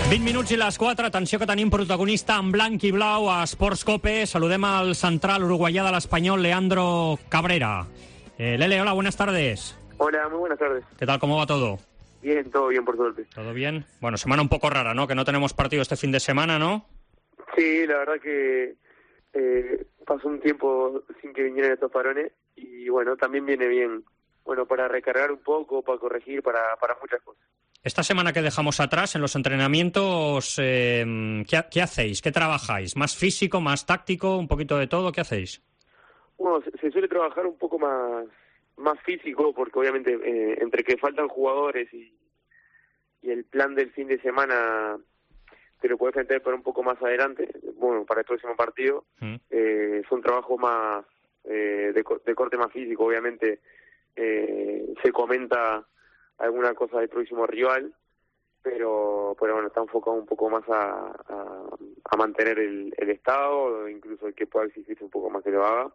vint minuts i les quatre. Atenció que tenim protagonista en blanc i blau a Sports Cope. Saludem al central uruguayà de l'Espanyol, Leandro Cabrera. Eh, Lele, hola, buenas tardes. Hola, muy buenas tardes. ¿Qué tal, cómo va todo? Bien, todo bien, por suerte. ¿Todo bien? Bueno, semana un poco rara, ¿no? Que no tenemos partido este fin de semana, ¿no? Sí, la verdad que eh, pasó un tiempo sin que vinieran estos parones y bueno, también viene bien, bueno, para recargar un poco, para corregir, para, para muchas cosas. Esta semana que dejamos atrás, en los entrenamientos, eh, ¿qué, ¿qué hacéis? ¿Qué trabajáis? ¿Más físico, más táctico, un poquito de todo? ¿Qué hacéis? Bueno, se, se suele trabajar un poco más más físico porque obviamente eh, entre que faltan jugadores y, y el plan del fin de semana te lo puedes meter para un poco más adelante, bueno, para el próximo partido, Mm. eh, es un trabajo más eh, de, co- de corte más físico, obviamente eh, se comenta alguna cosa del próximo rival, pero pero bueno, está enfocado un poco más a, a, a mantener el, el estado, incluso el que pueda exigirse un poco más que lo haga,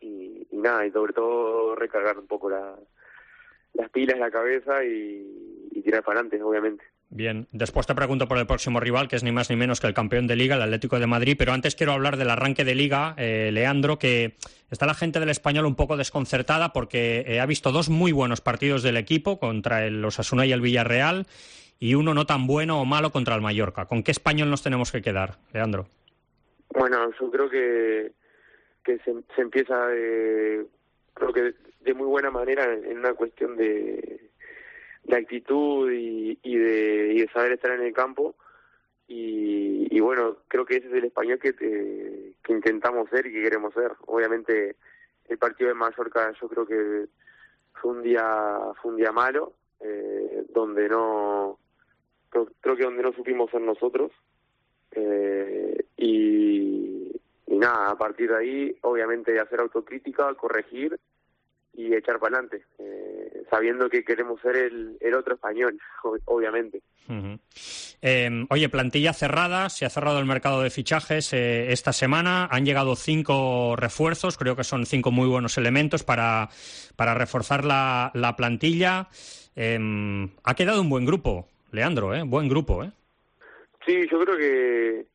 y, y nada, y sobre todo recargar un poco la, las pilas, la cabeza y, y tirar para adelante, obviamente. Bien, después te pregunto por el próximo rival, que es ni más ni menos que el campeón de Liga, el Atlético de Madrid, pero antes quiero hablar del arranque de Liga, eh, Leandro, que está la gente del Español un poco desconcertada porque eh, ha visto dos muy buenos partidos del equipo contra el Osasuna y el Villarreal y uno no tan bueno o malo contra el Mallorca. ¿Con qué Español nos tenemos que quedar, Leandro? Bueno, yo creo que, que se, se empieza de, creo que de muy buena manera en una cuestión de... de actitud y, y, de, y de saber estar en el campo y, y bueno, creo que ese es el Español que, te, que intentamos ser y que queremos ser. Obviamente el partido de Mallorca yo creo que fue un día fue un día malo, eh, donde no creo, creo que donde no supimos ser nosotros, eh, y, y nada, a partir de ahí obviamente hacer autocrítica, corregir y echar para adelante, eh, sabiendo que queremos ser el, el otro Español, obviamente. Uh-huh. Eh, oye, plantilla cerrada, se ha cerrado el mercado de fichajes eh, esta semana, han llegado cinco refuerzos, creo que son cinco muy buenos elementos para, para reforzar la, la plantilla. Eh, ha quedado un buen grupo, Leandro, ¿eh? Buen grupo, ¿eh? Sí, yo creo que,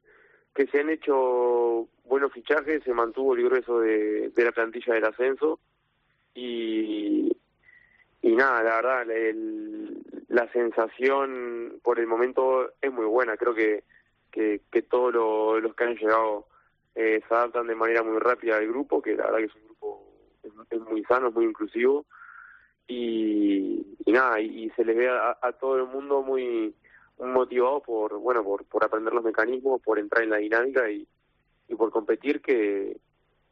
que se han hecho buenos fichajes, se mantuvo el grueso de, de la plantilla del ascenso. Y, y nada, la verdad, el, la sensación por el momento es muy buena. Creo que, que, que todos lo, los que han llegado eh, se adaptan de manera muy rápida al grupo, que la verdad que es un grupo es, es muy sano, es muy inclusivo. Y, y nada, y, y se les ve a, a todo el mundo muy, muy motivado por bueno por, por aprender los mecanismos, por entrar en la dinámica y, y por competir, que,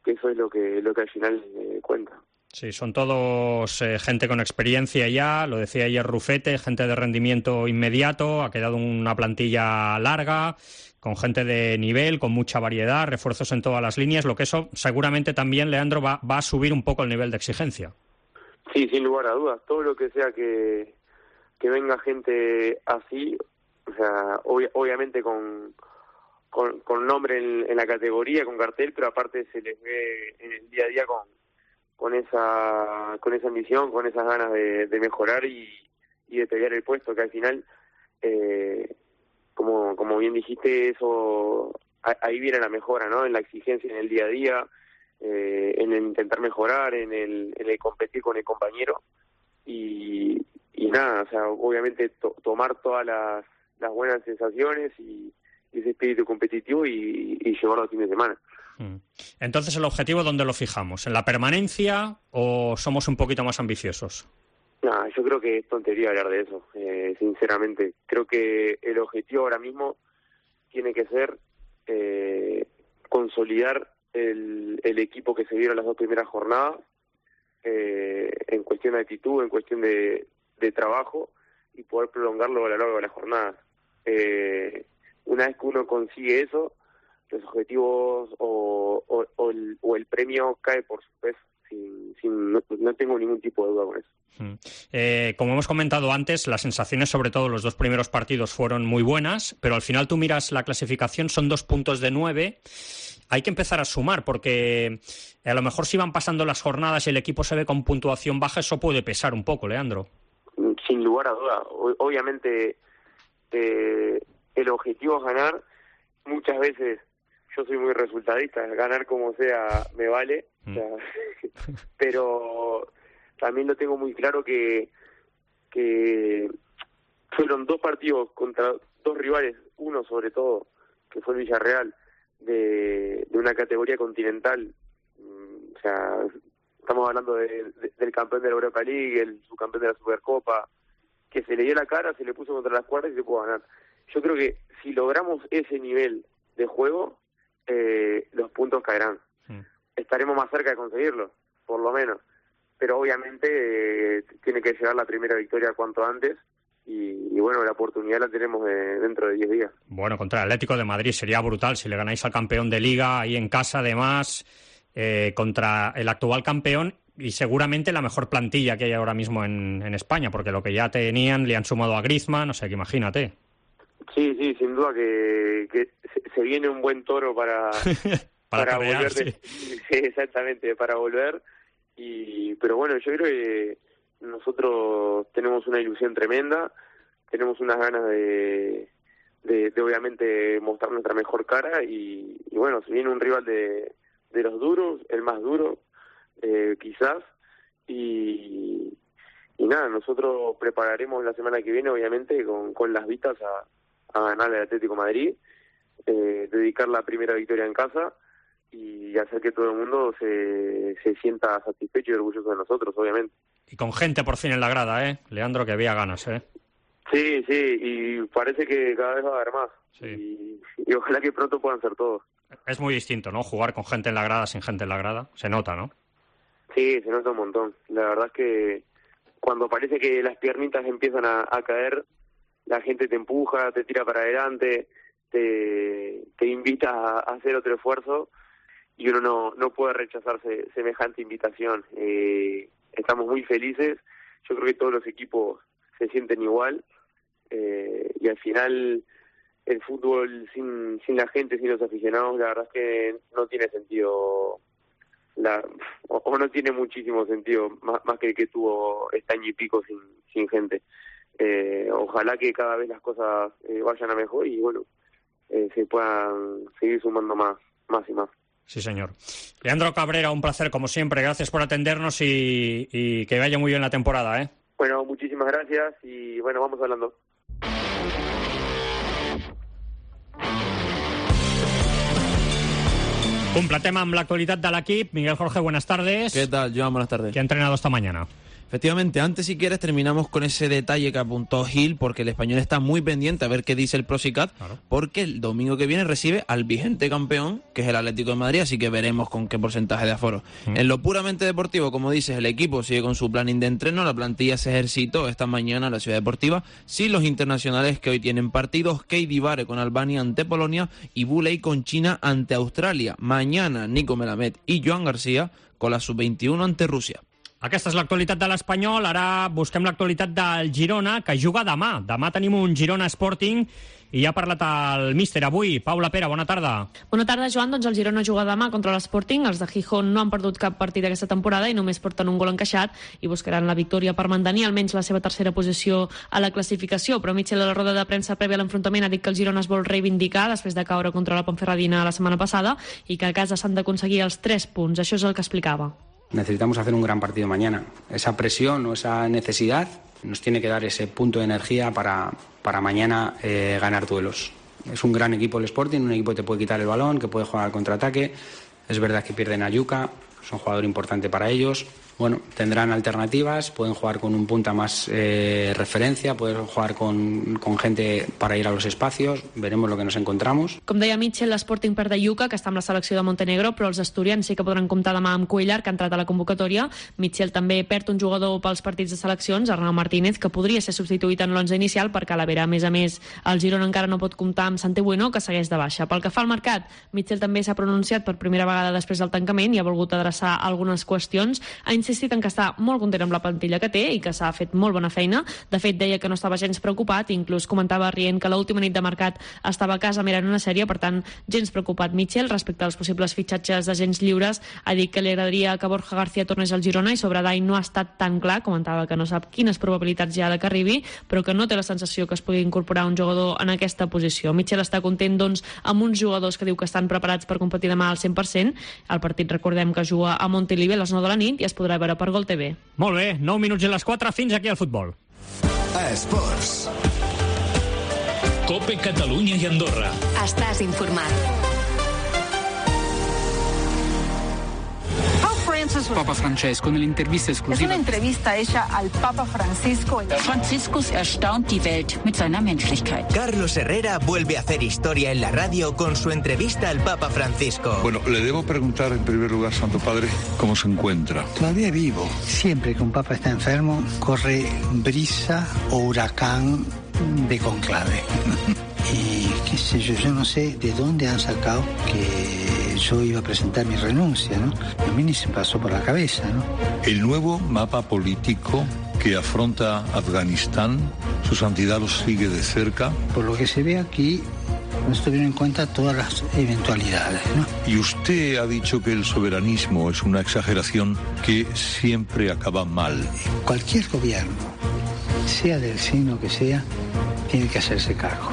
que eso es lo que, lo que al final eh, cuenta. Sí, son todos eh, gente con experiencia ya, lo decía ayer Rufete, gente de rendimiento inmediato, ha quedado una plantilla larga, con gente de nivel, con mucha variedad, refuerzos en todas las líneas, lo que eso seguramente también, Leandro, va, va a subir un poco el nivel de exigencia. Sí, sin lugar a dudas, todo lo que sea que, que venga gente así, o sea, ob- obviamente con, con, con nombre en, en la categoría, con cartel, pero aparte se les ve en el día a día con con esa con esa ambición, con esas ganas de, de mejorar y, y de pelear el puesto, que al final, eh, como como bien dijiste, eso ahí viene la mejora, ¿no? En la exigencia en el día a día, eh, en el intentar mejorar, en el, en el competir con el compañero y, y nada, o sea, obviamente to, tomar todas las, las buenas sensaciones y, y ese espíritu competitivo y, y llevarlo al fin de semana. Entonces, ¿el objetivo dónde lo fijamos? ¿En la permanencia o somos un poquito más ambiciosos? No, yo creo que es tontería hablar de eso, eh, sinceramente. Creo que el objetivo ahora mismo tiene que ser eh, consolidar el, el equipo que se dieron las dos primeras jornadas, eh, en cuestión de actitud, en cuestión de, de trabajo, y poder prolongarlo a lo largo de las jornadas. Eh, una vez que uno consigue eso, los objetivos o, o, o, el, o el premio cae por su peso. Sin, sin, no, no tengo ningún tipo de duda con eso. Eh, como hemos comentado antes, las sensaciones sobre todo los dos primeros partidos fueron muy buenas, pero al final tú miras la clasificación, son dos puntos de nueve. Hay que empezar a sumar, porque a lo mejor si van pasando las jornadas y el equipo se ve con puntuación baja, eso puede pesar un poco, Leandro. Sin lugar a duda. O, obviamente eh, el objetivo es ganar. Muchas veces yo soy muy resultadista, ganar como sea me vale, mm. o sea, pero también lo tengo muy claro que que fueron dos partidos contra dos rivales, uno sobre todo, que fue el Villarreal, de, de una categoría continental, o sea, estamos hablando de, de, del campeón de la Europa League, el subcampeón de la Supercopa, que se le dio la cara, se le puso contra las cuerdas y se pudo ganar. Yo creo que si logramos ese nivel de juego, eh, los puntos caerán. Sí. Estaremos más cerca de conseguirlo, por lo menos. Pero obviamente eh, tiene que llegar la primera victoria cuanto antes y, y bueno, la oportunidad la tenemos de, dentro de diez días. Bueno, contra el Atlético de Madrid sería brutal si le ganáis al campeón de Liga ahí en casa, además, eh, contra el actual campeón y seguramente la mejor plantilla que hay ahora mismo en, en España, porque lo que ya tenían le han sumado a Griezmann, o sea que imagínate. Sí, sí, sin duda que, que se viene un buen toro para, para, para volver. Sí. De, sí, exactamente, para volver. Y pero bueno, yo creo que nosotros tenemos una ilusión tremenda. tenemos unas ganas de, de, de obviamente mostrar nuestra mejor cara y, y bueno, se viene un rival de, de los duros, el más duro, eh, quizás, y, y nada, nosotros prepararemos la semana que viene, obviamente, con, con las vistas a, a ganar el Atlético de Madrid, eh, dedicar la primera victoria en casa y hacer que todo el mundo se, se sienta satisfecho y orgulloso de nosotros, obviamente. Y con gente por fin en la grada, ¿eh? Leandro, que había ganas, ¿eh? Sí, sí, y parece que cada vez va a haber más. Sí. Y, y ojalá que pronto puedan ser todos. Es muy distinto, ¿no? Jugar con gente en la grada, sin gente en la grada. Se nota, ¿no? Sí, se nota un montón. La verdad es que cuando parece que las piernitas empiezan a, a caer, la gente te empuja, te tira para adelante, te, te invita a, a hacer otro esfuerzo y uno no, no puede rechazarse semejante invitación. Eh, estamos muy felices. Yo creo que todos los equipos se sienten igual. Eh, y al final el fútbol sin, sin la gente, sin los aficionados, la verdad es que no tiene sentido, la, o, o no tiene muchísimo sentido, más, más que el que tuvo este año y pico sin, sin gente. Eh, ojalá que cada vez las cosas eh, vayan a mejor y bueno, eh, se puedan seguir sumando más, más y más. Sí, señor. Leandro Cabrera, un placer como siempre, gracias por atendernos y, y que vaya muy bien la temporada, ¿eh? Bueno, muchísimas gracias y bueno, vamos hablando. Completem amb l'actualitat de l'equip. Miguel Jorge, buenas tardes. ¿Qué tal, Joan? Buenas tardes. ¿Qué ha entrenado esta mañana? Efectivamente, antes si quieres terminamos con ese detalle que apuntó Gil, porque el Español está muy pendiente a ver qué dice el Procicat, claro, porque el domingo que viene recibe al vigente campeón, que es el Atlético de Madrid, así que veremos con qué porcentaje de aforo. Mm. En lo puramente deportivo, como dices, el equipo sigue con su planning de entreno, la plantilla se ejercitó esta mañana en la Ciudad Deportiva, sin los internacionales que hoy tienen partidos, Keidi Bare con Albania ante Polonia y Buley con China ante Australia. Mañana Nico Melamed y Joan García con la sub veintiuno ante Rusia. Aquesta és l'actualitat de l'Espanyol. Ara busquem l'actualitat del Girona, que juga demà. Demà tenim un Girona Sporting i ja ha parlat el míster avui. Paula Pera, bona tarda. Bona tarda, Joan. Doncs el Girona juga demà contra l'Sporting. Els de Gijón no han perdut cap partit aquesta temporada i només porten un gol encaixat i buscaran la victòria per mantenir almenys la seva tercera posició a la classificació. Però Michel, a la roda de premsa prèvia a l'enfrontament, ha dit que el Girona es vol reivindicar després de caure contra la Ponferradina la setmana passada i que a casa s'han d'aconseguir els tres punts. Això és el que explicava. Necesitamos hacer un gran partido mañana. Esa presión o esa necesidad nos tiene que dar ese punto de energía para, para mañana eh, ganar duelos. Es un gran equipo el Sporting, un equipo que te puede quitar el balón, que puede jugar al contraataque. Es verdad que pierden a Yuka, es un jugador importante para ellos. Bueno, tendrán alternativas, pueden jugar con un punta más eh, referencia, pueden jugar con, con gente para ir a los espacios, veremos lo que nos encontramos. Com deia Mitchell, l'Sporting perd de Yuka, que està amb la selecció de Montenegro, però els asturians sí que podran comptar demà amb Cuellar, que ha entrat a la convocatòria. Mitchell també perd un jugador pels partits de seleccions, Arnau Martínez, que podria ser substituït en l'onze inicial, perquè a la Vera, a més a més, el Girona encara no pot comptar amb Santi Bueno, que segueix de baixa. Pel que fa al mercat, Mitchell també s'ha pronunciat per primera vegada després del tancament i ha volgut adreçar algunes qüestions. Ha insistit en que està molt content amb la plantilla que té i que s'ha fet molt bona feina. De fet, deia que no estava gens preocupat i inclús comentava rient que l'última nit de mercat estava a casa mirant una sèrie, per tant, gens preocupat. Mitchell, respecte als possibles fitxatges d'agents lliures, ha dit que li agradaria que Borja García tornés al Girona i sobre Dai no ha estat tan clar, comentava que no sap quines probabilitats hi ha de que arribi, però que no té la sensació que es pugui incorporar un jugador en aquesta posició. Mitchell està content, doncs, amb uns jugadors que diu que estan preparats per competir demà al cent per cent. El partit, recordem, que juga a Montilivi a les nou de la nit i es podrà veure per Gol T V. Molt bé, nou minuts i les quatre, fins aquí al futbol. Esports. Cope Catalunya i Andorra. Estàs informat. Papa Francesco nell'intervista esclusiva. Es una entrevista hecha al Papa Francisco. Franciscus erstaunt die Welt mit seiner Menschlichkeit. Carlos Herrera vuelve a hacer historia en la radio con su entrevista al Papa Francisco. Bueno, le debo preguntar en primer lugar, Santo Padre, cómo se encuentra. Todavía vivo. Siempre que un Papa está enfermo, corre brisa o huracán de conclave. Y qué sé yo, yo no sé de dónde han sacado que yo iba a presentar mi renuncia, ¿no? A mí ni se pasó por la cabeza, ¿no? El nuevo mapa político que afronta Afganistán, su santidad lo sigue de cerca. Por lo que se ve aquí, no se tuvieron en cuenta todas las eventualidades, ¿no? Y usted ha dicho que el soberanismo es una exageración que siempre acaba mal. Cualquier gobierno sea del signo que sea, tiene que hacerse cargo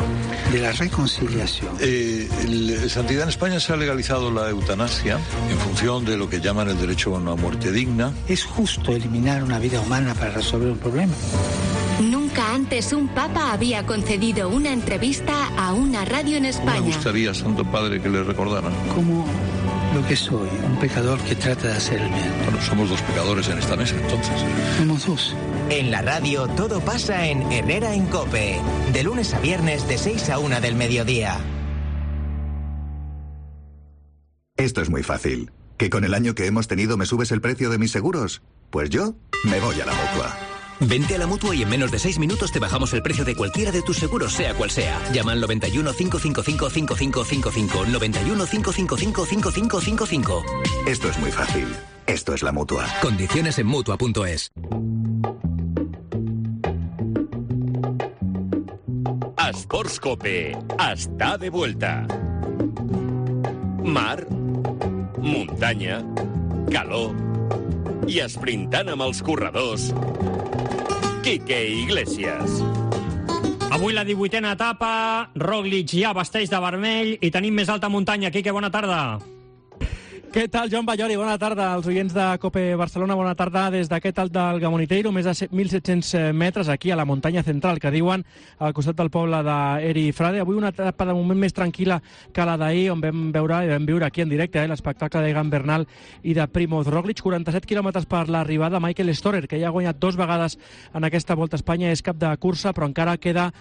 de la reconciliación. Eh, el, Santidad, en España se ha legalizado la eutanasia en función de lo que llaman el derecho a una muerte digna. ¿Es justo eliminar una vida humana para resolver un problema? Nunca antes un papa había concedido una entrevista a una radio en España. Me gustaría, Santo Padre, que le recordaran. Como lo que soy, un pecador que trata de hacer el bien. Bueno, somos dos pecadores en esta mesa, entonces. Somos dos. En la radio todo pasa en Herrera en COPE, de lunes a viernes de seis a una del mediodía. Esto es muy fácil. ¿Que con el año que hemos tenido me subes el precio de mis seguros? Pues yo me voy a la Mutua. Vente a la Mutua y en menos de seis minutos te bajamos el precio de cualquiera de tus seguros, sea cual sea. Llama al noventa y uno, cinco cinco cinco, cinco cinco cinco cinco, noventa y uno, cinco cinco cinco, cinco cinco cinco cinco. Esto es muy fácil. Esto es la Mutua. Condiciones en Mutua punto es. Esports Cope està de vuelta. Mar, muntanya, calor i esprintant amb els corredors, Quique Iglesias. Avui la divuitena etapa, Roglic ja vesteix de vermell i tenim més alta muntanya. Quique, bona tarda. Què tal, Joan Ballori? Bona tarda als oients de COPE Barcelona. Bona tarda des d'aquest alt del Gamoniteiro, més de mil set-cents metres aquí a la muntanya central, que diuen al costat del poble d'Eri Frade. Avui una etapa de moment més tranquil·la que la d'ahir, on vam veure i vam viure aquí en directe eh, l'espectacle d'Egan Bernal i de Primoz Roglic. quaranta-set quilòmetres per l'arribada. Michael Storer, que ja ha guanyat dos vegades en aquesta Volta a Espanya, és cap de cursa, però encara queda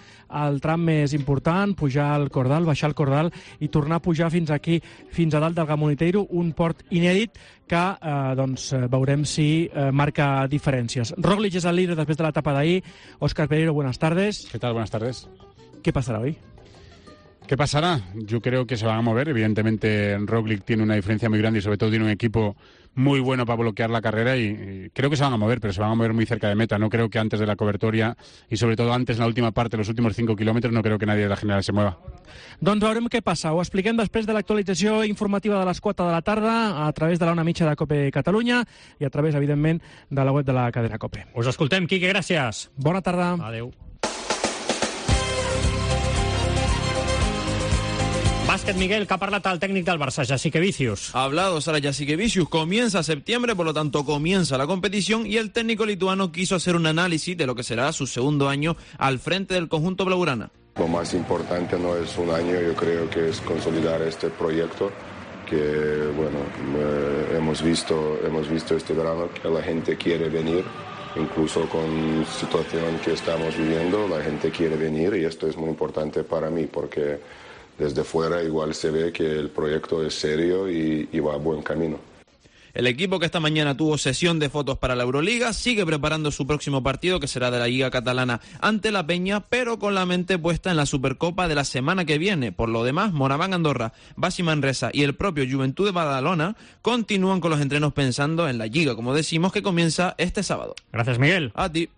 el tram més important, pujar el Cordal, baixar el Cordal i tornar a pujar fins aquí, fins a dalt del Gamoniteiro, un port inèdit que eh, doncs, veurem si eh, marca diferències. Roglic és el líder després de l'etapa d'ahir. Óscar Pereiro, buenas tardes. ¿Qué tal? Buenas tardes. ¿Qué pasará hoy? ¿Qué pasará? Yo creo que se van a mover. Evidentemente, Roglic tiene una diferencia muy grande y sobre todo tiene un equipo muy bueno para bloquear la carrera y, y creo que se van a mover, pero se van a mover muy cerca de meta. No creo que antes de la cobertoria y sobre todo antes en la última parte, los últimos cinco kilómetros, no creo que nadie de la general se mueva. Doncs veurem què passa. Ho expliquem després de l'actualització informativa de les quatre de la tarda a través de la una mitja de COPE Catalunya i a través, evidentment, de la web de la cadena COPE. Us escoltem, Quique, gràcies. Bona tarda. Adéu. Básquet, Miguel, que ha parlat el técnico del Barça, Jasikevičius. Ha hablado Sara Jasikevičius. Comienza septiembre, por lo tanto comienza la competición y el técnico lituano quiso hacer un análisis de lo que será su segundo año al frente del conjunto blaugrana. Lo más importante no es un año, yo creo que es consolidar este proyecto que, bueno, eh, hemos visto, hemos visto este verano que la gente quiere venir. Incluso con la situación que estamos viviendo, la gente quiere venir y esto es muy importante para mí porque desde fuera igual se ve que el proyecto es serio y, y va a buen camino. El equipo que esta mañana tuvo sesión de fotos para la Euroliga sigue preparando su próximo partido, que será de la Liga Catalana ante la Peña, pero con la mente puesta en la Supercopa de la semana que viene. Por lo demás, Moraván Andorra, Basi Manresa y el propio Juventud de Badalona continúan con los entrenos pensando en la Liga, como decimos, que comienza este sábado. Gracias, Miguel. A ti.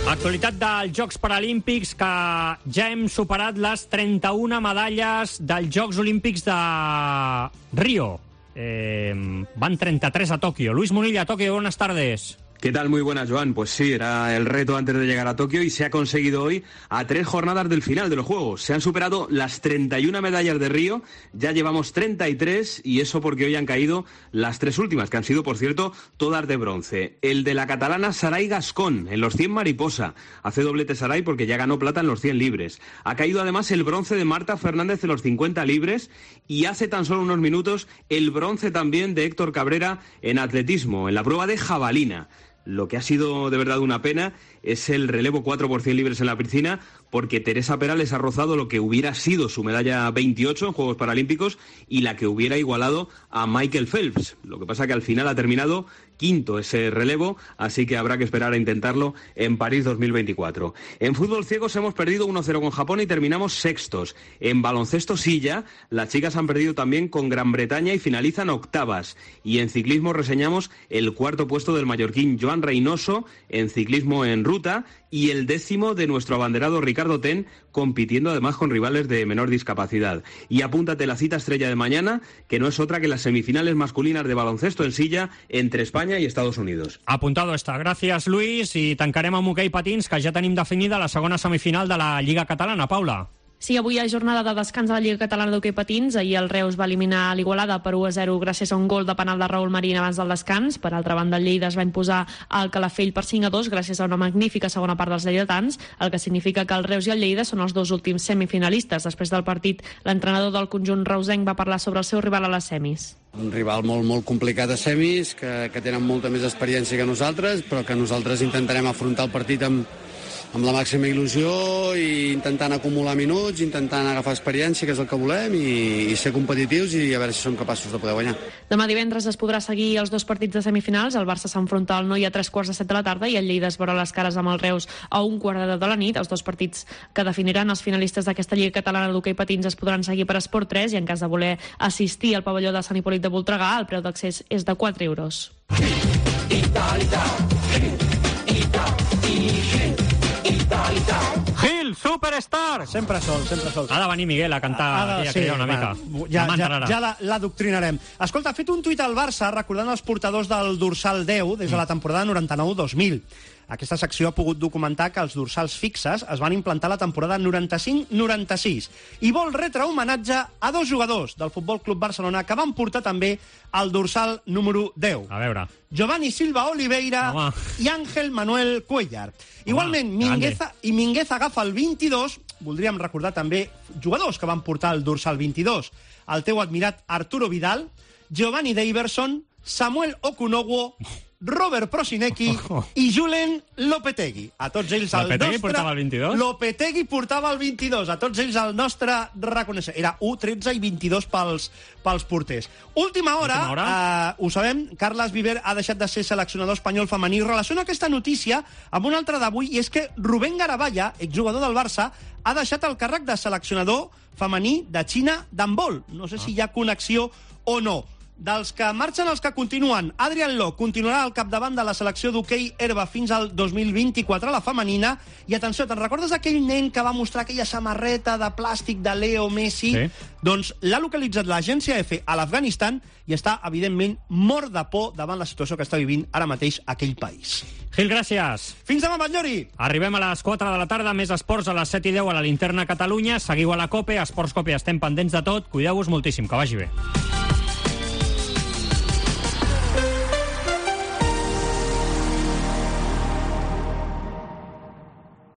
Actualitat dels Jocs Paralímpics, que ja hem superat les trenta-una medalles dels Jocs Olímpics de Rio. Eh, van treinta-tres a Tokio. Luis Munilla, Tokio, buenas tardes. ¿Qué tal? Muy buenas, Joan. Pues sí, era el reto antes de llegar a Tokio y se ha conseguido hoy a tres jornadas del final de los Juegos. Se han superado las treinta y una medallas de Río, ya llevamos treinta y tres y eso porque hoy han caído las tres últimas, que han sido, por cierto, todas de bronce. El de la catalana Saray Gascón en los cien mariposa. Hace doblete Saray porque ya ganó plata en los cien libres. Ha caído además el bronce de Marta Fernández en los cincuenta libres y hace tan solo unos minutos el bronce también de Héctor Cabrera en atletismo, en la prueba de jabalina. Lo que ha sido de verdad una pena es el relevo cuatro por cien libres en la piscina, porque Teresa Perales ha rozado lo que hubiera sido su medalla veintiocho en Juegos Paralímpicos y la que hubiera igualado a Michael Phelps. Lo que pasa que al final ha terminado quinto ese relevo, así que habrá que esperar a intentarlo en París dos mil veinticuatro. En fútbol ciegos hemos perdido uno cero con Japón y terminamos sextos. En baloncesto silla, las chicas han perdido también con Gran Bretaña y finalizan octavas. Y en ciclismo reseñamos el cuarto puesto del mallorquín Joan Reynoso en ciclismo en ruta. absoluta, y el décimo de nuestro abanderado Ricardo Ten, compitiendo además con rivales de menor discapacidad. Y apúntate la cita estrella de mañana, que no es otra que las semifinales masculinas de baloncesto en silla entre España y Estados Unidos. Apuntado està. Gràcies, Luis. I tancarem amb hoquei patins, que ja tenim definida la segona semifinal de la Lliga Catalana. Paula. Sí, avui hi ha jornada de descans a la Lliga Catalana d'Hoquei Patins. Ahir el Reus va eliminar l'Igualada per u a zero gràcies a un gol de penal de Raúl Marín abans del descans. Per altra banda, el Lleida es va imposar al Calafell per cinc a dos gràcies a una magnífica segona part dels lleidatans, el que significa que el Reus i el Lleida són els dos últims semifinalistes. Després del partit, l'entrenador del conjunt reusenc va parlar sobre el seu rival a les semis. Un rival molt, molt complicat a semis, que, que tenen molta més experiència que nosaltres, però que nosaltres intentarem afrontar el partit amb amb la màxima il·lusió i intentant acumular minuts, intentant agafar experiència, que és el que volem, i, i ser competitius i a veure si som capaços de poder guanyar. Demà divendres es podrà seguir els dos partits de semifinals. El Barça s'enfronta al Noi a tres quarts de set de la tarda i el Lleida es veurà les cares amb el Reus a un quart de deu de la nit. Els dos partits que definiran els finalistes d'aquesta Lliga Catalana d'Hoquei Patins es podran seguir per Esport tres i en cas de voler assistir al pavelló de Sant Hipòlit de Voltregà, el preu d'accés és de quatre euros. Gil, superstar! Sempre sol, sempre sol. Ha de venir Miguel a cantar de, aquí a sí, cridar una mica. Va, ja ja, ja l'adoctrinarem. Escolta, ha fet un tuit al Barça recordant els portadors del dorsal deu des de la temporada noranta-nou dos mil. Aquesta secció ha pogut documentar que els dorsals fixes es van implantar la temporada noranta-cinc noranta-sis i vol retre homenatge a dos jugadors del Futbol Club Barcelona que van portar també el dorsal número deu. A veure. Giovanni Silva Oliveira Home. i Ángel Manuel Cuellar. Igualment, Mingueza, i Mingueza agafa el vint-i-dos. Voldríem recordar també jugadors que van portar el dorsal vint-i-dos. El teu admirat Arturo Vidal, Giovanni Daverson, Samuel Okunowo, Robert Prosinecki i Julen Lopetegui. A tots ells el Lopetegui nostre... portava el vint-i-dos? Lopetegui portava el vint-i-dos. A tots ells el nostre reconeixement. Era u, tretze i vint-i-dos pels, pels porters. Última hora, Última hora? Eh, ho sabem, Carles Viver ha deixat de ser seleccionador espanyol femení. Relaciona aquesta notícia amb una altra d'avui, i és que Rubén Garaballa, exjugador del Barça, ha deixat el càrrec de seleccionador femení de Xina d'handbol. No sé si hi ha connexió o no. Dels que marxen els que continuen, Adrián Lo continuarà al capdavant de la selecció d'hoquei herba fins al dos mil vint-i-quatre, la femenina. I atenció, te'n recordes aquell nen que va mostrar aquella samarreta de plàstic de Leo Messi? Sí. Doncs l'ha localitzat l'agència F a l'Afganistan i està, evidentment, mort de por davant la situació que està vivint ara mateix aquell país. Gil, gràcies. Fins demà, Batllori. Arribem a les quatre de la tarda, més esports a les set i deu a la Linterna Catalunya. Seguiu a la COPE, a Esports COPE estem pendents de tot. Cuideu-vos moltíssim, que vagi bé.